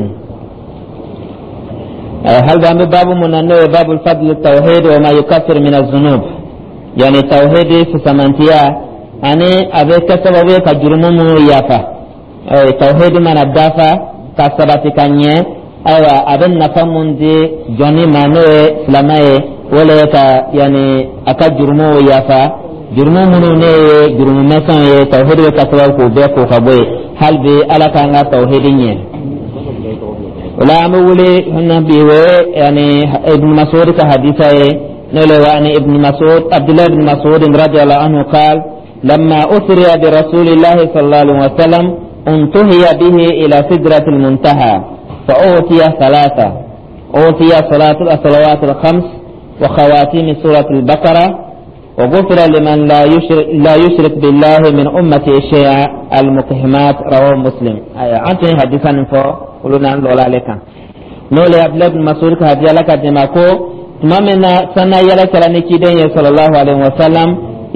هل باب من باب الفضل التوحيد وما يكفر من الذنوب، يعني توحيد fisamantiya ani a bɛ kɛ sababu ye ka jurumu minnu yafa. Tawhidi mana dafa ka sabati ka ɲɛ, ayiwa, a bɛ nafa mun di jɔnni ma, n'o ye silamɛ ye, o le ye ka yanni a ka jurumuw yafa. Jurumu minnu ne ye jurumu misɛnw ye, tawhidi bɛ ka sababu k'o bɛɛ ko ka bɔ yen. Hali bi, Ala k'an ka tawhidi ɲɛ. O la, an bɛ wuli na bi, o ye yani Ibn Mas'ud ka hadisa ye, n'o le wa ani Ibn Mas'ud, Abdullah ibn Mas'ud radiyallahu anhu قال: لما أسري برسول الله صلى الله عليه وسلم، انتهي به إلى سدرة المنتهى، فأعطي ثلاثة: أعطي صلاة الصلوات الخمس، وخواتيم سورة البقرة، وغفر لمن لا يشرك بالله من أمته شيئا، المبهمات. رواه مسلم. أيوة، أنت حديثا فو olu n'an lɔla ale kan, n'o le Abdulayi bin Masud ka hadiya la ka dɛmɛ ko tuma min na sanna yɛlɛ kɛra ni ciden ye sallallahu alaihi wa sallam,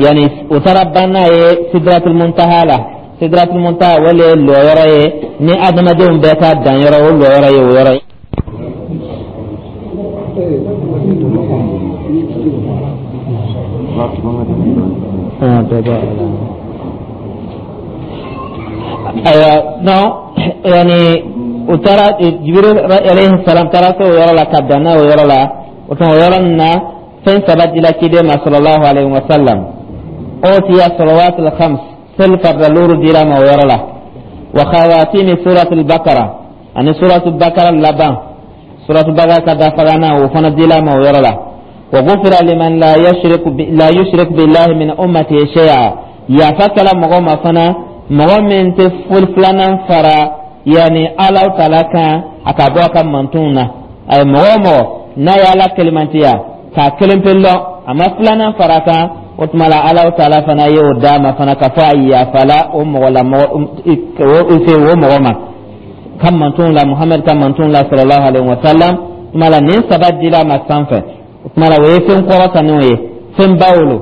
yani u taara ban n'a ye Sidratul Muntaha la. Sidratul Muntaha, o le ye lɔyɔrɔ ye ni adamadenw bɛɛ ka dan yɔrɔ, o lɔyɔrɔ ye o yɔrɔ ye. Ayiwa, non, yani u taara, Jibril alayhi salam taara se o yɔrɔ la ka dan n'a o yɔrɔ la. O tuma, o yɔrɔ nin na, fɛn saba dila ciden ma sallallahu alayhi wa sallam: utiya salawatul khams, seli farida luuru dira ma o yɔrɔ la, wa khawatimi suratul bakara, ani suratul bakara laban, suratul bakara ka dafagana, o fana dila ma o yɔrɔ la, wa gufira liman la yushrik billahi min ummati shay'a, yafa kɛla mɔgɔ ma fana, mɔgɔ min tɛ foli filanan fara yani Ala taala kan a ka bɔ a ka mantonw na. A ye mɔgɔ o mɔgɔ n'a ye Ala kelimantiya k'a kelen pe lɔn, a ma filanan fara kan, o tuma la Ala taala fana y'o d'a ma fana k'a fɔ a yafala o mɔgɔ la, mɔgɔ o fɛ o mɔgɔ ma ka mantonw la, Muhamadu ka mantonw la sallallahu alaihi wa sallam. Tuma la, nin saba dila a ma sanfɛ. O tuma la, o ye fɛn kɔrɔtanenw ye, fɛn baw lo.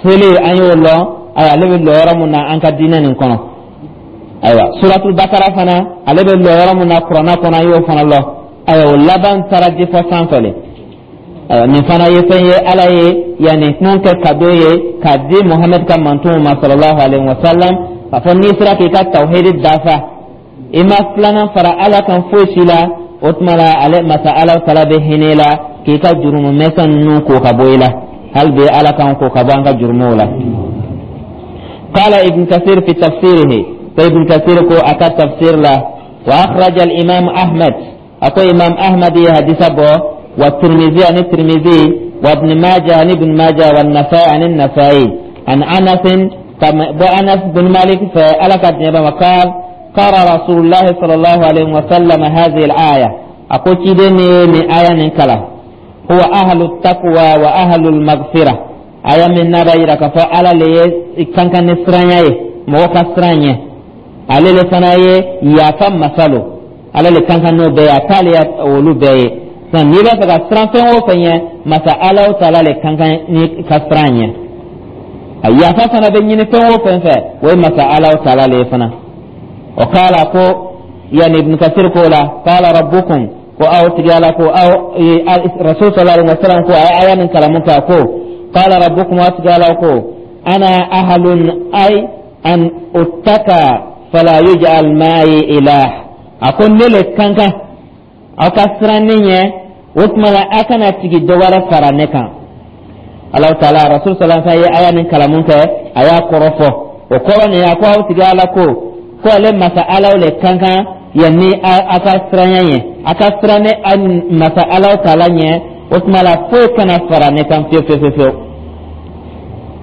Seli, an y'o lɔn, ayiwa, ale bɛ lɔ yɔrɔ mun na an ka diinɛ nin kɔnɔ. Ayiwa, suratul bakara fana, ale bɛ lɔ yɔrɔ mun na kuranna kɔnɔ, an y'o fana lɔn. Ayiwa, o laban taara di fɔ sanfɛ le. Ayiwa, nin fana ye fɛn ye Ala ye yanni mun kɛ cadeau ye k'a di Muhamadu ka mantonw ma sallallahu alaihi wa sallam, k'a fɔ n'i sera k'i ka tawhidi dafa, i ma filanan fara Ala kan foyi si la, o tuma la ale masa Ala taala bɛ hinɛ i la k'i ka jurumu misɛn ninnu ko ka bɔ i la. Hali bi, Ala k'an ko ka bɔ an ka jurumuw la. قال ابن كثير في تفسيره، فابن كثير كو أكا تفسير له: وأخرج الإمام أحمد، أكو إمام أحمد حديث بو، والترمذي عن الترمذي، وابن ماجه عن ابن ماجه، والنسائي عن النسائي، عن أنس، أنس بن مالك فألك وقال: قرأ رسول الله صلى الله عليه وسلم هذه الآية، أقول كده من آية نكلا: هو أهل التقوى وأهل المغفرة. Aya min n'a b'a yira k'a fɔ Ala le ye kan ka ni siranya ye, mɔgɔ ka siran ɲɛ, ale le fana ye yafa masa lo. Ala le kan ka n'o bɛɛ ye, a t'ale olu bɛɛ ye. Sisan, n'i b'a fɛ ka siran fɛn o fɛn ɲɛ, masa Ala taala le kan ka ni ka siran ɲɛ. A yafa fana bɛ ɲini fɛn o fɛn fɛ, o ye masa Ala taala le ye fana. O k'a ko yanni Ibn Kasir ko la: qala rabbukum, ko aw tigi Ala ko aw rasul sallallahu alaihi wasallam ko a ye aya nin kalamu kɛ ko: qala rabbukum, aw tigi Ala ko: ana ahlun ay an uttaka fala yuj'al ma'i ilah. A ko ne le kan kan aw ka siran ne ɲɛ, o tuma la a kana tigi dɔ wɛrɛ fara ne kan. Alahu taala rasul sallallahu alaihi wasallam ye aya nin kalamu kɛ, a y'a kɔrɔ fɔ. O kɔrɔ nin, a ko aw tigi Ala ko ko ale masa Alaw le kan kan yanni a ka siranya ɲɛ, a ka siran ne masa Alaw taala ɲɛ, o tuma la foyi kana fara ne kan fiyewu fiyewu fiyewu.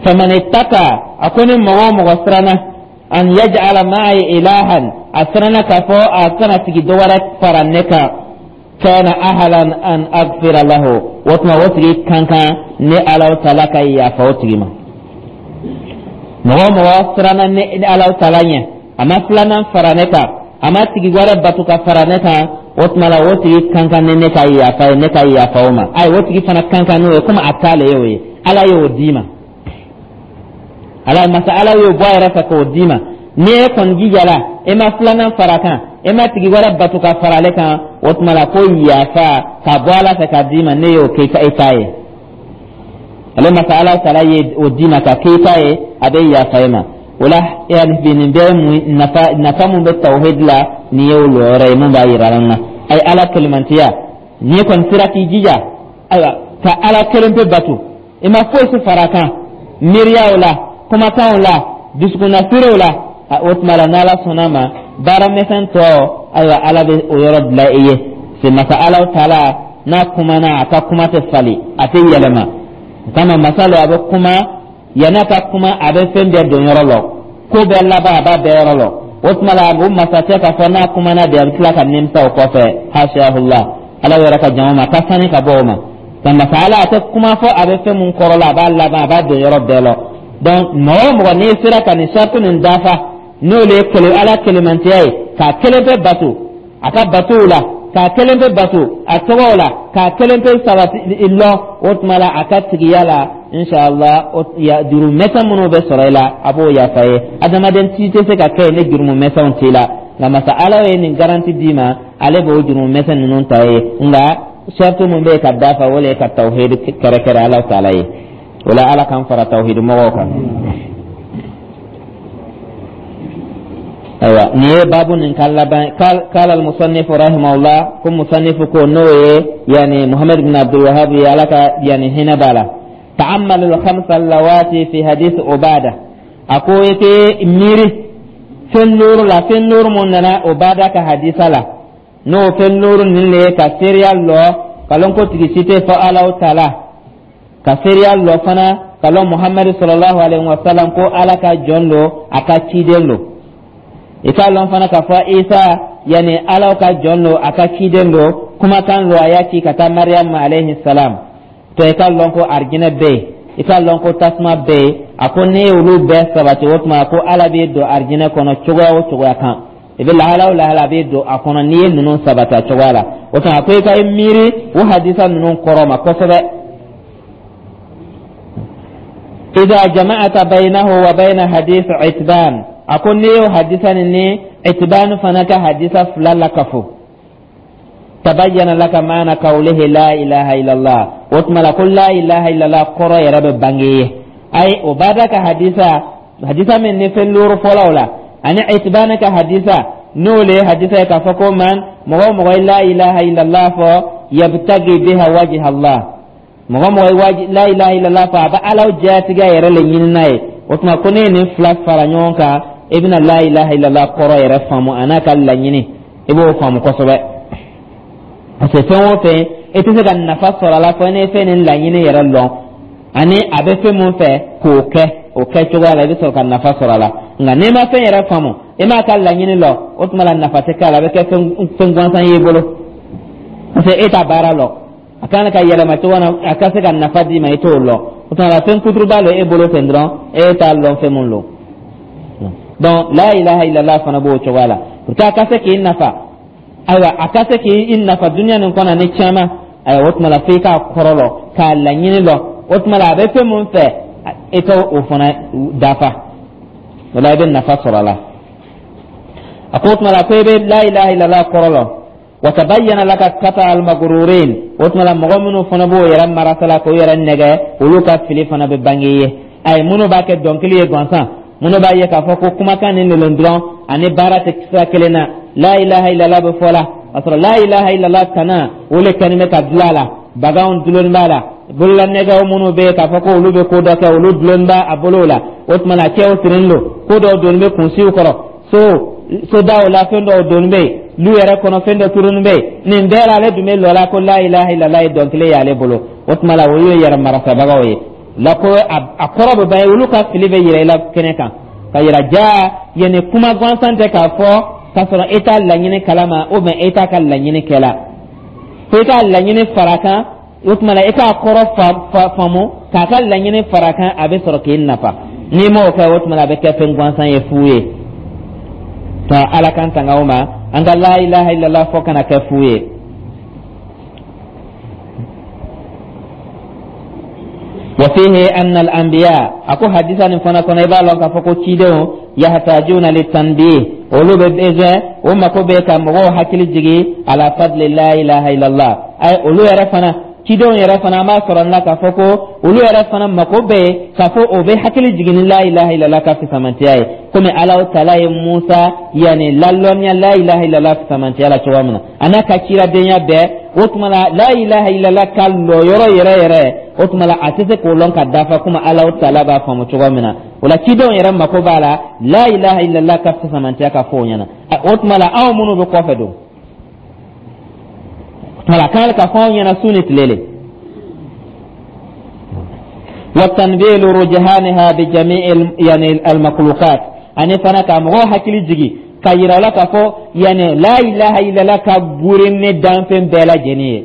Faman ittaka, a ko ni mɔgɔ o mɔgɔ siranna, an yaj'ala ma'i ilahan, a siranna k'a fɔ a kana tigi dɔ wɛrɛ fara ne kan, kana ahlan an aghfira lahu, o tuma o tigi kan kan ne Alaw taala ka yafa o tigi ma. Mɔgɔ o mɔgɔ siranna ne Alaw taala ɲɛ, a ma filanan fara ne kan, a ma tigi wɛrɛ bato ka fara ne kan, o tuma la o tigi kan kan ne ka yafa ye, ne ka yafa o ma. Ayi, o tigi fana kan kan n'o ye, komi a t'ale ye, o ye Ala y'o d'i ma. Ala masa Ala y'o bɔ a yɛrɛ fɛ k'o d'i ma. Ni e kɔni jijala, e ma filanan fara kan, e ma tigi wɛrɛ bato ka fara ale kan, o tuma la ko yafa ka bɔ Ala fɛ k'a d'i ma, ne y'o kɛ e ta ye. Ale masa Ala taala ye o d'i ma ka k'e ta ye, a bɛ yafa e ma. O la, yani bi, nin bɛɛ mun nafa, nafa mun bɛ tawhid la, nin ye o lɔyɔrɔ ye mun b'a yira an na. Ayi, Ala kelimantiya, n'i kɔni sera k'i jija, ayiwa, ka Ala kelen pe bato, i ma foyi si fara a kan miiriyaw la, kumakanw la, dusukunnasiriw la, o tuma la, n'Ala sɔnna ma, baara misɛn tɔ, ayiwa, Ala bɛ o yɔrɔ bila i ye. Se masa Ala taala n'a kumana, a ka kuma tɛ fali, a tɛ yɛlɛma. O kama masa lo, a bɛ kuma, yan'a ka kuma, a bɛ fɛn bɛɛ don yɔrɔ lɔ, ko bɛɛ laban, a b'a bɛɛ yɔrɔ lɔ. O tuma la, o masakɛ k'a fɔ n'a kumana de, a bɛ tila ka nimisa o kɔfɛ, hashahullah, Ala yɛrɛ ka jama ma ka sani ka bɔ o ma. Nka masa Ala, a tɛ kuma fɔ a bɛ fɛn mun kɔrɔ la, a b'a laban, a b'a don yɔrɔ bɛɛ lɔ. Donc mɔgɔ o mɔgɔ n'i sera ka nin sarati nin dafa, n'o le ye kele Ala kelemantiya ye, k'a kelen pe bato a ka batow la, k'a kelen pe bato a tɔgɔw la, k'a kelen pe sabati lɔ, o tuma la, a ka tigiya la, inshallah, juru mɛsɛn minnu bɛ sɔrɔ i la, a b'o yafa ye. Adamaden ci tɛ se ka kɛ ni jurumu mɛsɛnw t'i la, nka masa Ala ye nin garanti d'i ma, ale b'o jurumu mɛsɛn ninnu ta ye. Nka sarati mun bɛ yen ka dafa, o le ye ka tawhid kɛrɛkɛrɛ Ala taala ye. O la, Ala k'an fara tawhid mɔgɔw kan. Ayiwa, nin ye baabu nin ka laban. Kala al-musannif rahimahullah, ko musannifu ko, n'o ye yani Muhammad bin Abdul Wahhab ye, Ala ka yani hinɛ b'a la: ta'ammal al-khamsa allawati fi hadith Ubada. A ko i k'i miiri fɛn duuru la, fɛn duuru mun nana Ubada ka hadisa la, n'o fɛn duuru nin le ye ka seereya lɔ ka lɔn ko tigi si tɛ fɔ Ala taala, ka seereya lɔ fana ka lɔn Muhammadu sallallahu alaihi wa sallam ko Ala ka jɔn lo, a ka ciden lo. I k'a lɔn fana k'a fɔ Isa, yani Ala ka jɔn lo, a ka ciden lo, kumakan lo, a y'a ci ka taa Mariam ma alayhi salam. To i k'a lɔn ko arijinɛ bɛ yen, i k'a lɔn ko tasuma bɛ yen. A ko ne ye olu bɛɛ sabati, o tuma ko Ala b'i don arijinɛ kɔnɔ cogoya o cogoya kan, i bɛ lahala o lahala, a b'i don a kɔnɔ n'i ye ninnu sabati a cogoya la. O tuma, a ko i ka i miiri o hadisa ninnu kɔrɔ ma kosɛbɛ. Idha jama'ata baynahu wa bayna hadith Itban, a ko n'i y'o hadisa nin ni Itban fana ka hadisa fila lakafo, tabayyana laka maana qawlihi la ilaha illallah. O tuma la, ko la ilaha illallah kɔrɔ yɛrɛ bɛ bange ye. Ayi, Ubada ka hadisa min ni fɛn duuru fɔlɔw la, ani Itban ka hadisa, n'o le ye hadisa ye k'a fɔ ko man mɔgɔ o mɔgɔ ye la ilaha illallah fɔ, yabtagi biha wajha Allah, mɔgɔ mɔgɔ ye la ilaha illallah fɔ, a bɛ Ala jatigiya yɛrɛ le ɲini n'a ye. O tuma ko ne ye nin fila fara ɲɔgɔn kan, i bɛna la ilaha illallah kɔrɔ yɛrɛ faamu, a n'a ka laɲini, i b'o faamu kosɛbɛ, parce que fɛn o fɛn, i tɛ se ka nafa sɔrɔ a la fo n'i ye fɛn nin laɲini yɛrɛ lɔn, ani a bɛ fɛn mun fɛ k'o kɛ o kɛ cogoya la, i bɛ sɔrɔ ka nafa sɔrɔ a la. Nka n'i ma fɛn yɛrɛ faamu, i m'a ka laɲini lɔn, o tuma la, nafa tɛ k'a la, a bɛ kɛ fɛn gansan y'i bolo, parce que e t'a baara lɔn. A kan ka yɛlɛma cogo na a ka se ka nafa d'i ma, i t'o lɔn. O tuma la, fɛn kuturuba lo e bolo ten dɔrɔn, e t'a lɔn fɛn mun lo. Donc la ilaha illallah fana b'o cogoya la pour que a ka se k'i nafa. Ayiwa, a ka se k'i nafa duniya nin kɔnɔ ni caman, ayiwa, o tuma la, f'i k'a kɔrɔ lɔn, k'a laɲini lɔn. O tuma la, a bɛ fɛn mun fɛ, i t'o o fana dafa. O la, i bɛ nafa sɔrɔ a la. A ko o tuma la, ko i bɛ la ilaha illallah kɔrɔ lɔn. Wa tabayyana laka kata almagrurin. O tuma la, mɔgɔ minnu fana b'o yɛrɛ marasa la, k'o yɛrɛ nɛgɛ, olu ka fili fana bɛ bange ye. Ayi, minnu b'a kɛ dɔnkili ye gansan, minnu b'a ye k'a fɔ ko kumakan nin lelen dɔrɔn ani baara tɛ sira kelen na, la ilaha illallah bɛ fɔ la, k'a sɔrɔ la ilaha illallah tana o le kɛlen bɛ ka dilan a la, baganw dulonni b'a la, bololanɛgɛw minnu bɛ yen k'a fɔ ko olu bɛ ko dɔ kɛ, olu dulonni b'a a bolo la. O tuma na, cɛw sirilen don, ko dɔw donni bɛ kunsiw kɔrɔ, so sodaw la, fɛn dɔw donni bɛ yen, lu yɛrɛ kɔnɔ, fɛn dɔ turuni bɛ yen. Nin bɛɛ la, ale dun bɛ lɔ la ko la ilaha illallah ye dɔnkili y'ale bolo. O tuma la, o ye yɛrɛ marasabagaw ye la, ko a kɔrɔ bɛ ban, olu ka fili bɛ yira i la kɛnɛ kan, ka yira ja yanni kuma gansan tɛ k'a fɔ k'a sɔrɔ e t'a laɲini kalama, ou bien e t'a ka laɲini kɛ la, fo i k'a laɲini fara kan. O tuma la, i k'a kɔrɔ faamu, k'a ka laɲini fara kan, a bɛ sɔrɔ k'i nafa. N'i m'o kɛ, o tuma la, a bɛ kɛ fɛn gansan ye, fu ye. To Ala k'an tanga o ma, an ka la ilaha illallah fɔ kana kɛ fu ye. Wa fihi anna al-anbiya, a ko hadisa nin fana kɔnɔ, i b'a lɔn k'a fɔ ko cidenw, yahtajuna litanbih, olu bɛ besoin, o mako bɛ ka mɔgɔw hakili jigi ala fadli la ilaha illallah. Ay, olu yɛrɛ fana Cidenw yɛrɛ fana, an b'a sɔrɔ la k'a fɔ ko olu yɛrɛ fana mako bɛ yen k'a fɔ o bɛ hakili jigin ni la ilaha illallah ka fisamantiya ye, komi Alahu taala ye Musa yanni lalɔnniya la ilaha illallah fisamantiya la cogoya min na, a n'a ka ciradenya bɛɛ. O tuma la, la ilaha illallah ka lɔyɔrɔ yɛrɛ yɛrɛ, o tuma la, a tɛ se k'o lɔn ka dafa komi Alahu taala b'a faamu cogoya min na. O la, cidenw yɛrɛ mako b'a la la ilaha illallah ka fisamantiya ka fɔ o ɲɛna. O tuma la, anw minnu bɛ kɔfɛ don, o tuma la, a kan ka fɔ anw ɲɛna su ni tile le. Wa tanbilu rujhaniha bi jami'i yani al-makhluqat, ani fana ka mɔgɔw hakili jigi ka yira la k'a fɔ yani la ilaha illallah ka gurin ni danfɛn bɛɛ lajɛlen ye,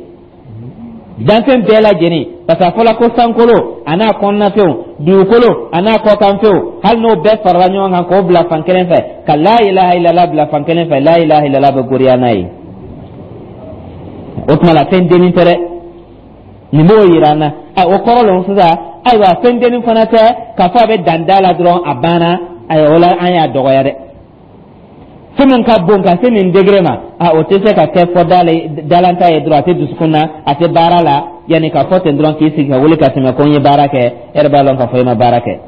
danfɛn bɛɛ lajɛlen, parce que a fɔla ko sankolo a n'a kɔnɔnafɛnw, dugukolo a n'a kɔkanfɛnw, hali n'o bɛɛ farala ɲɔgɔn kan k'o bila fan kelen fɛ, ka la ilaha illallah bila fan kelen fɛ, la ilaha illallah bɛ goriya n'a ye. O tuma la, fɛn dennin tɛ dɛ. Nin b'o yira an na. O kɔrɔ lɔn sisan. Ayiwa, fɛn dennin fana tɛ k'a fɔ a bɛ dan da la dɔrɔn, a banna. Ayiwa, o la, an y'a dɔgɔya dɛ. Fɛn min ka bon ka se nin degré ma, a o tɛ se ka kɛ fɔ dalanta ye dɔrɔn, a tɛ dusukun na, a tɛ baara la, yanni k'a fɔ ten dɔrɔn k'i sigi ka wuli ka tɛmɛ ko n ye baara kɛ. E yɛrɛ b'a lɔn k'a fɔ i ma baara kɛ.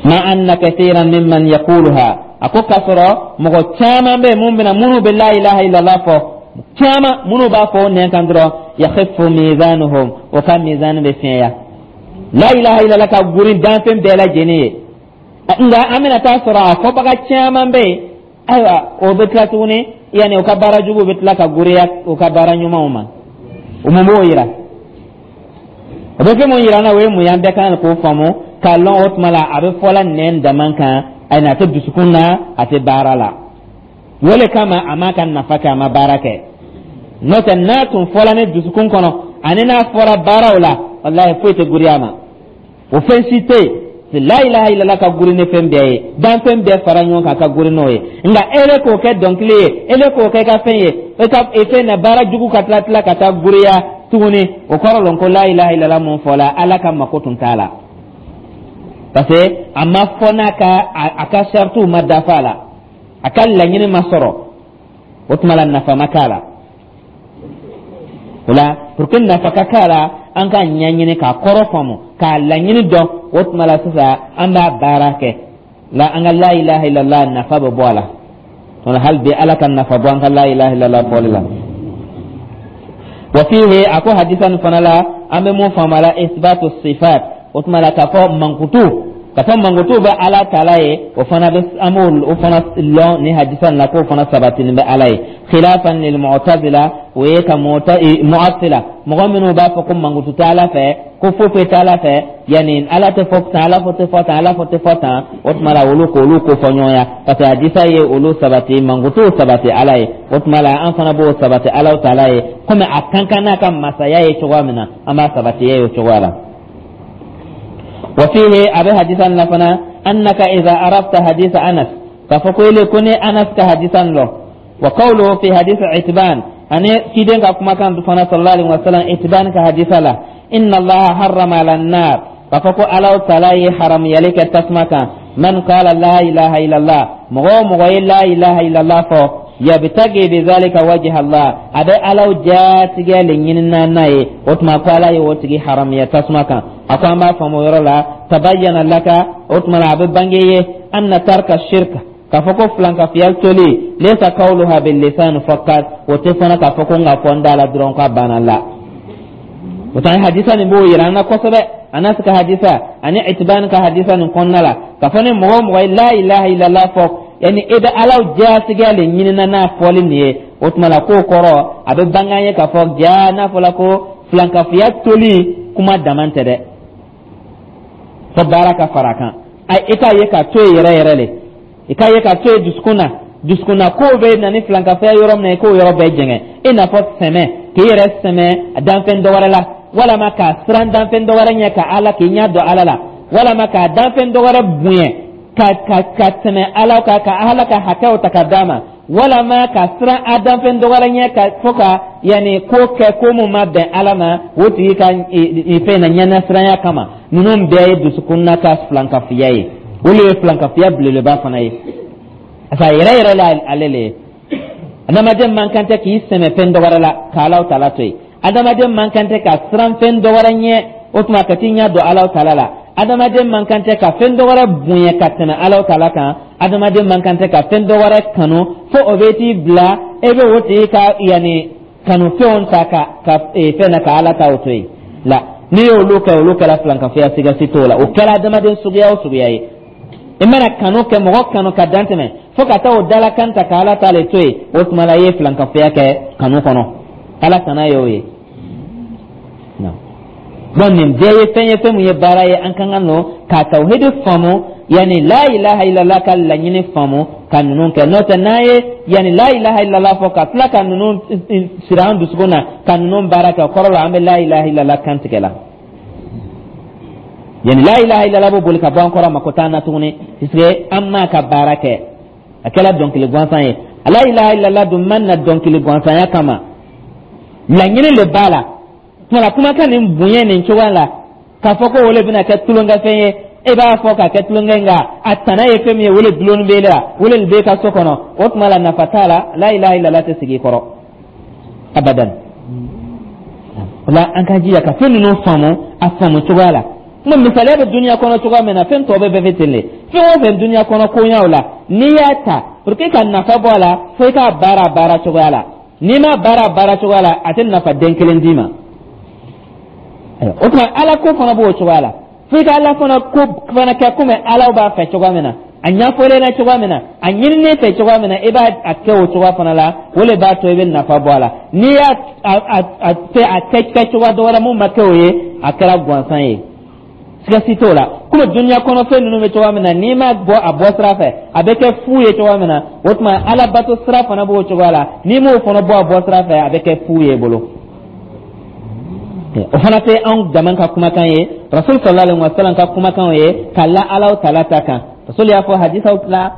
Ma anna kathiran mimman yaquluha, a ko k'a sɔrɔ mɔgɔ caman bɛ yen mun bɛna, minnu bɛ la ilaha illallah fɔ, caman minnu b'a fɔ o nɛn kan dɔrɔn, yakhifu mizanuhum, o ka mizan bɛ fiɲɛya. La ilaha illallah ka gurin danfɛn bɛɛ lajɛlen ye, nka an bɛna taa sɔrɔ a fɔbaga caman bɛ yen. Ayiwa, o bɛ tila tuguni, yanni o ka baara juguw bɛ tila ka goriya o ka baara ɲumanw ma. O mun b'o yira? O bɛ fɛn mun yira an na? O ye mun ye? An bɛɛ kan k'o faamu k'a lɔn. O tuma la, a bɛ fɔla nɛn dama kan, ayi, a tɛ dusukun na, a tɛ baara la. O le kama a m'a ka nafa kɛ, a ma baara kɛ. N'o tɛ, n'a tun fɔla ni dusukun kɔnɔ ani n'a fɔra baaraw la, walahi, foyi tɛ goriya a ma. O fɛn si tɛ yen. La ilaha illallah ka guri ni fɛn bɛɛ ye, danfɛn bɛɛ fara ɲɔgɔn kan ka guri n'o ye. Nka e le k'o kɛ dɔnkili ye, e le k'o kɛ i ka fɛn ye, e ka e fɛn na baara jugu ka tila tila ka taa guriya tuguni, o kɔrɔ lɔn ko la ilaha illallah mun fɔla, Ala ka mako tun t'a la, parce que a ma fɔ n'a ka a ka saritiw ma dafa a la, a ka laɲini ma sɔrɔ. O tuma la, nafa ma k'a la. O la, pour que nafa ka k'a la, an k'a ɲɛɲini k'a kɔrɔ faamu, k'a laɲini dɔn. O tuma la sisan, an b'a baara kɛ la, an ka la ilaha illallah nafa bɛ bɔ a la. O la, hali bi, Ala ka nafa bɔ an ka la ilaha illallah fɔli la. Wa fihi, a ko hadisa nin fana la, an bɛ mun faamu a la? Isbatu sifat. O tuma la, k'a fɔ mankutu, k'a fɔ mankutu bɛ Ala taala ye, o fana bɛ, an b'o o fana lɔn ni hadisa nin la, k'o fana sabatinin bɛ Ala ye. Khilafan lil mu'tazila, o ye ka mu'attila, mɔgɔ minnu b'a fɔ ko mankutu tɛ Ala fɛ, ko foyi foyi tɛ Ala fɛ, yanni Ala tɛ fɔ tan, Ala fɔ tɛ fɔ tan, Ala fɔ tɛ fɔ tan. O tuma la, olu k'olu ko fɔ ɲɔgɔnya, parce que hadisa ye olu sabati, mankutu sabati Ala ye. O tuma la, an fana b'o sabati Ala taala ye, komi a kan kan n'a ka masaya ye cogoya min na, an b'a sabati ye o cogoya la. Wa fihi, a bɛ hadisa nin la fana, annaka idha arafta hadisa Anas, k'a fɔ ko ele ko ne Anas ka hadisa nin lɔn, wa qawluhu fi hadith Itban, ani ciden ka kumakan fana, sallallahu alaihi wasallam, Itban ka hadisa la, inna Allaha harrama ala nar, k'a fɔ ko Ala taala ye haramuyali kɛ tasuma kan, man qala la ilaha illallah, mɔgɔ o mɔgɔ ye la ilaha illallah fɔ, yabtagi bi zalika wajha Allah, a bɛ Ala jatigɛ le ɲinina n'a ye, o tuma ko Ala ye o tigi haramuya tasuma kan. A ko an b'a faamu o yɔrɔ la, tabayyana laka, o tuma la, a bɛ bange ye, anna tarka shirka, k'a fɔ ko filankafiya toli, laysa qawluha bil lisan faqat, o tɛ fana k'a fɔ ko n ka fɔ n da la dɔrɔn k'a banna la. O tuma, hadisa nin b'o yira an na kosɛbɛ, Anas ka hadisa ani Itban ka hadisa nin kɔnɔna la, k'a fɔ ni mɔgɔ o mɔgɔ ye la ilaha illallah fɔ, yani e bɛ Ala jatigɛ le ɲinina n'a fɔli nin ye, o tuma la, k'o kɔrɔ a bɛ bange an ye k'a fɔ ja n'a fɔla ko filankafiya toli kuma dama tɛ dɛ, fo baara ka fara a kan. I k'a ye k'a to yen yɛrɛ yɛrɛ le, i k'a ye k'a to yen dusukun na. Dusukun na kow bɛ na ni filankafoya yɔrɔ min na, i k'o yɔrɔ bɛɛ jɛngɛ, i n'a fɔ sɛmɛ, k'i yɛrɛ sɛmɛ danfɛn dɔ wɛrɛ la, walama k'a siran danfɛn dɔ wɛrɛ ɲɛ ka Ala k'i ɲɛ dɔn Ala la, walama k'a danfɛn dɔ wɛrɛ bonya ka tɛmɛ Ala kan, ka Ala ka hakɛw ta ka d'a ma, walama ka siran a danfɛn dɔ wɛrɛ ɲɛ ka fo ka yanni ko kɛ ko mun ma bɛn Ala ma, o tigi ka fɛn na ɲɛnasiranya kama. Ninnu bɛɛ ye dusukun na ka filankafoya ye. Olu ye filankafoya belebeleba fana ye, parce que a yɛrɛ yɛrɛ la, ale le ye. Adamaden man kan tɛ k'i sɛmɛ fɛn dɔ wɛrɛ la ka Alaw Taala to yen. Adamaden man kan tɛ ka siran fɛn dɔ wɛrɛ ɲɛ, o tuma ka t'i ɲɛ don Alaw Taala la. Adamaden man kan tɛ ka fɛn dɔ wɛrɛ bonya ka tɛmɛ Alaw Taala kan. Adamaden man kan tɛ ka fɛn dɔ wɛrɛ kanu fo o bɛ t'i bila e bɛ o tigi ka yanni kanufɛnw ta ka fɛn na ka Ala ta o to yen la. N'i y'olu kɛ, olu kɛra filankafoya, siga si t'o la. O kɛra adamaden suguya o suguya ye, i mana kanu kɛ, mɔgɔ kanu ka dan tɛmɛ fo ka taa o dalakan ta ka Ala ta le to yen, o tuma la i ye filankafoya kɛ kanu kɔnɔ. Ala kana ye o ye. Donc nin bɛɛ ye fɛn ye, fɛn mun ye baara ye an kan ka nɔ ka tawhidi faamu, yani la ilaha illallah ka laɲini faamu, ka ninnu kɛ. N'o tɛ, n'an ye yani la ilaha illallah fɔ ka tila ka ninnu siri an dusukun na, ka ninnu baara kɛ, o kɔrɔ la an bɛ la ilaha illallah kan tigɛ la. Yani la ilaha illallah bɛ boli ka bɔ an kɔrɔ, mako t'an na tuguni, puisque an m'a ka baara kɛ, a kɛra dɔnkili gansan ye. La ilaha illallah dun ma na dɔnkili gansanya kama, laɲini le b'a la. Tuma kumakan nin bonya nin cogoya la, k'a fɔ ko o le bɛna kɛ tulonkɛfɛn ye, e b'a fɔ k'a kɛ tulonkɛ, nka a tana ye fɛn min ye, o le dulonni b'e la, o le b'e ka so kɔnɔ, o tuma la nafa t'a la. La ilaha illallah tɛ sigi i kɔrɔ abadan. O la, an ka jija ka fɛn ninnu faamu a faamu cogoya la. Kuma misaliya bɛ duniya kɔnɔ cogoya min na, fɛn tɔ bɛɛ bɛ ten de. Fɛn o fɛn duniya kɔnɔ koɲaw la, n'i y'a ta pour que ka nafa bɔ a la, fo i k'a baara a baara cogoya la. N'i m'a baara a baara cogoya la, a tɛ nafa den kelen d'i ma. O tuma Ala ko fana b'o cogoya la, fo i ka Ala fana ko fana kɛ komi Ala b'a fɛ cogoya min na, a ɲɛfɔlen na cogoya min na, a ɲininen fɛ cogoya min na, i b'a a kɛ o cogoya fana la. O de b'a to i bɛ nafa bɔ a la. N'i y'a a fɛ a kɛ kɛ cogoya dɔ wɛrɛ mun ma kɛ o ye, a kɛra gansan ye, siga si t'o la. Komi duniya kɔnɔ fɛn ninnu bɛ cogoya min na, n'i ma bɔ a bɔ sira fɛ, a bɛ kɛ fu ye cogoya min na, o tuma Ala bato sira fana b'o cogoya la. N'i m'o fana bɔ a bɔ sira fɛ, a bɛ kɛ fu ye bolo. O fana tɛ anw dama ka kumakan ye, Rasul sallallahu alaihi wa sallam ka kumakan ye ka la Alaw Taala ta kan. Rasul y'a fɔ hadisaw la.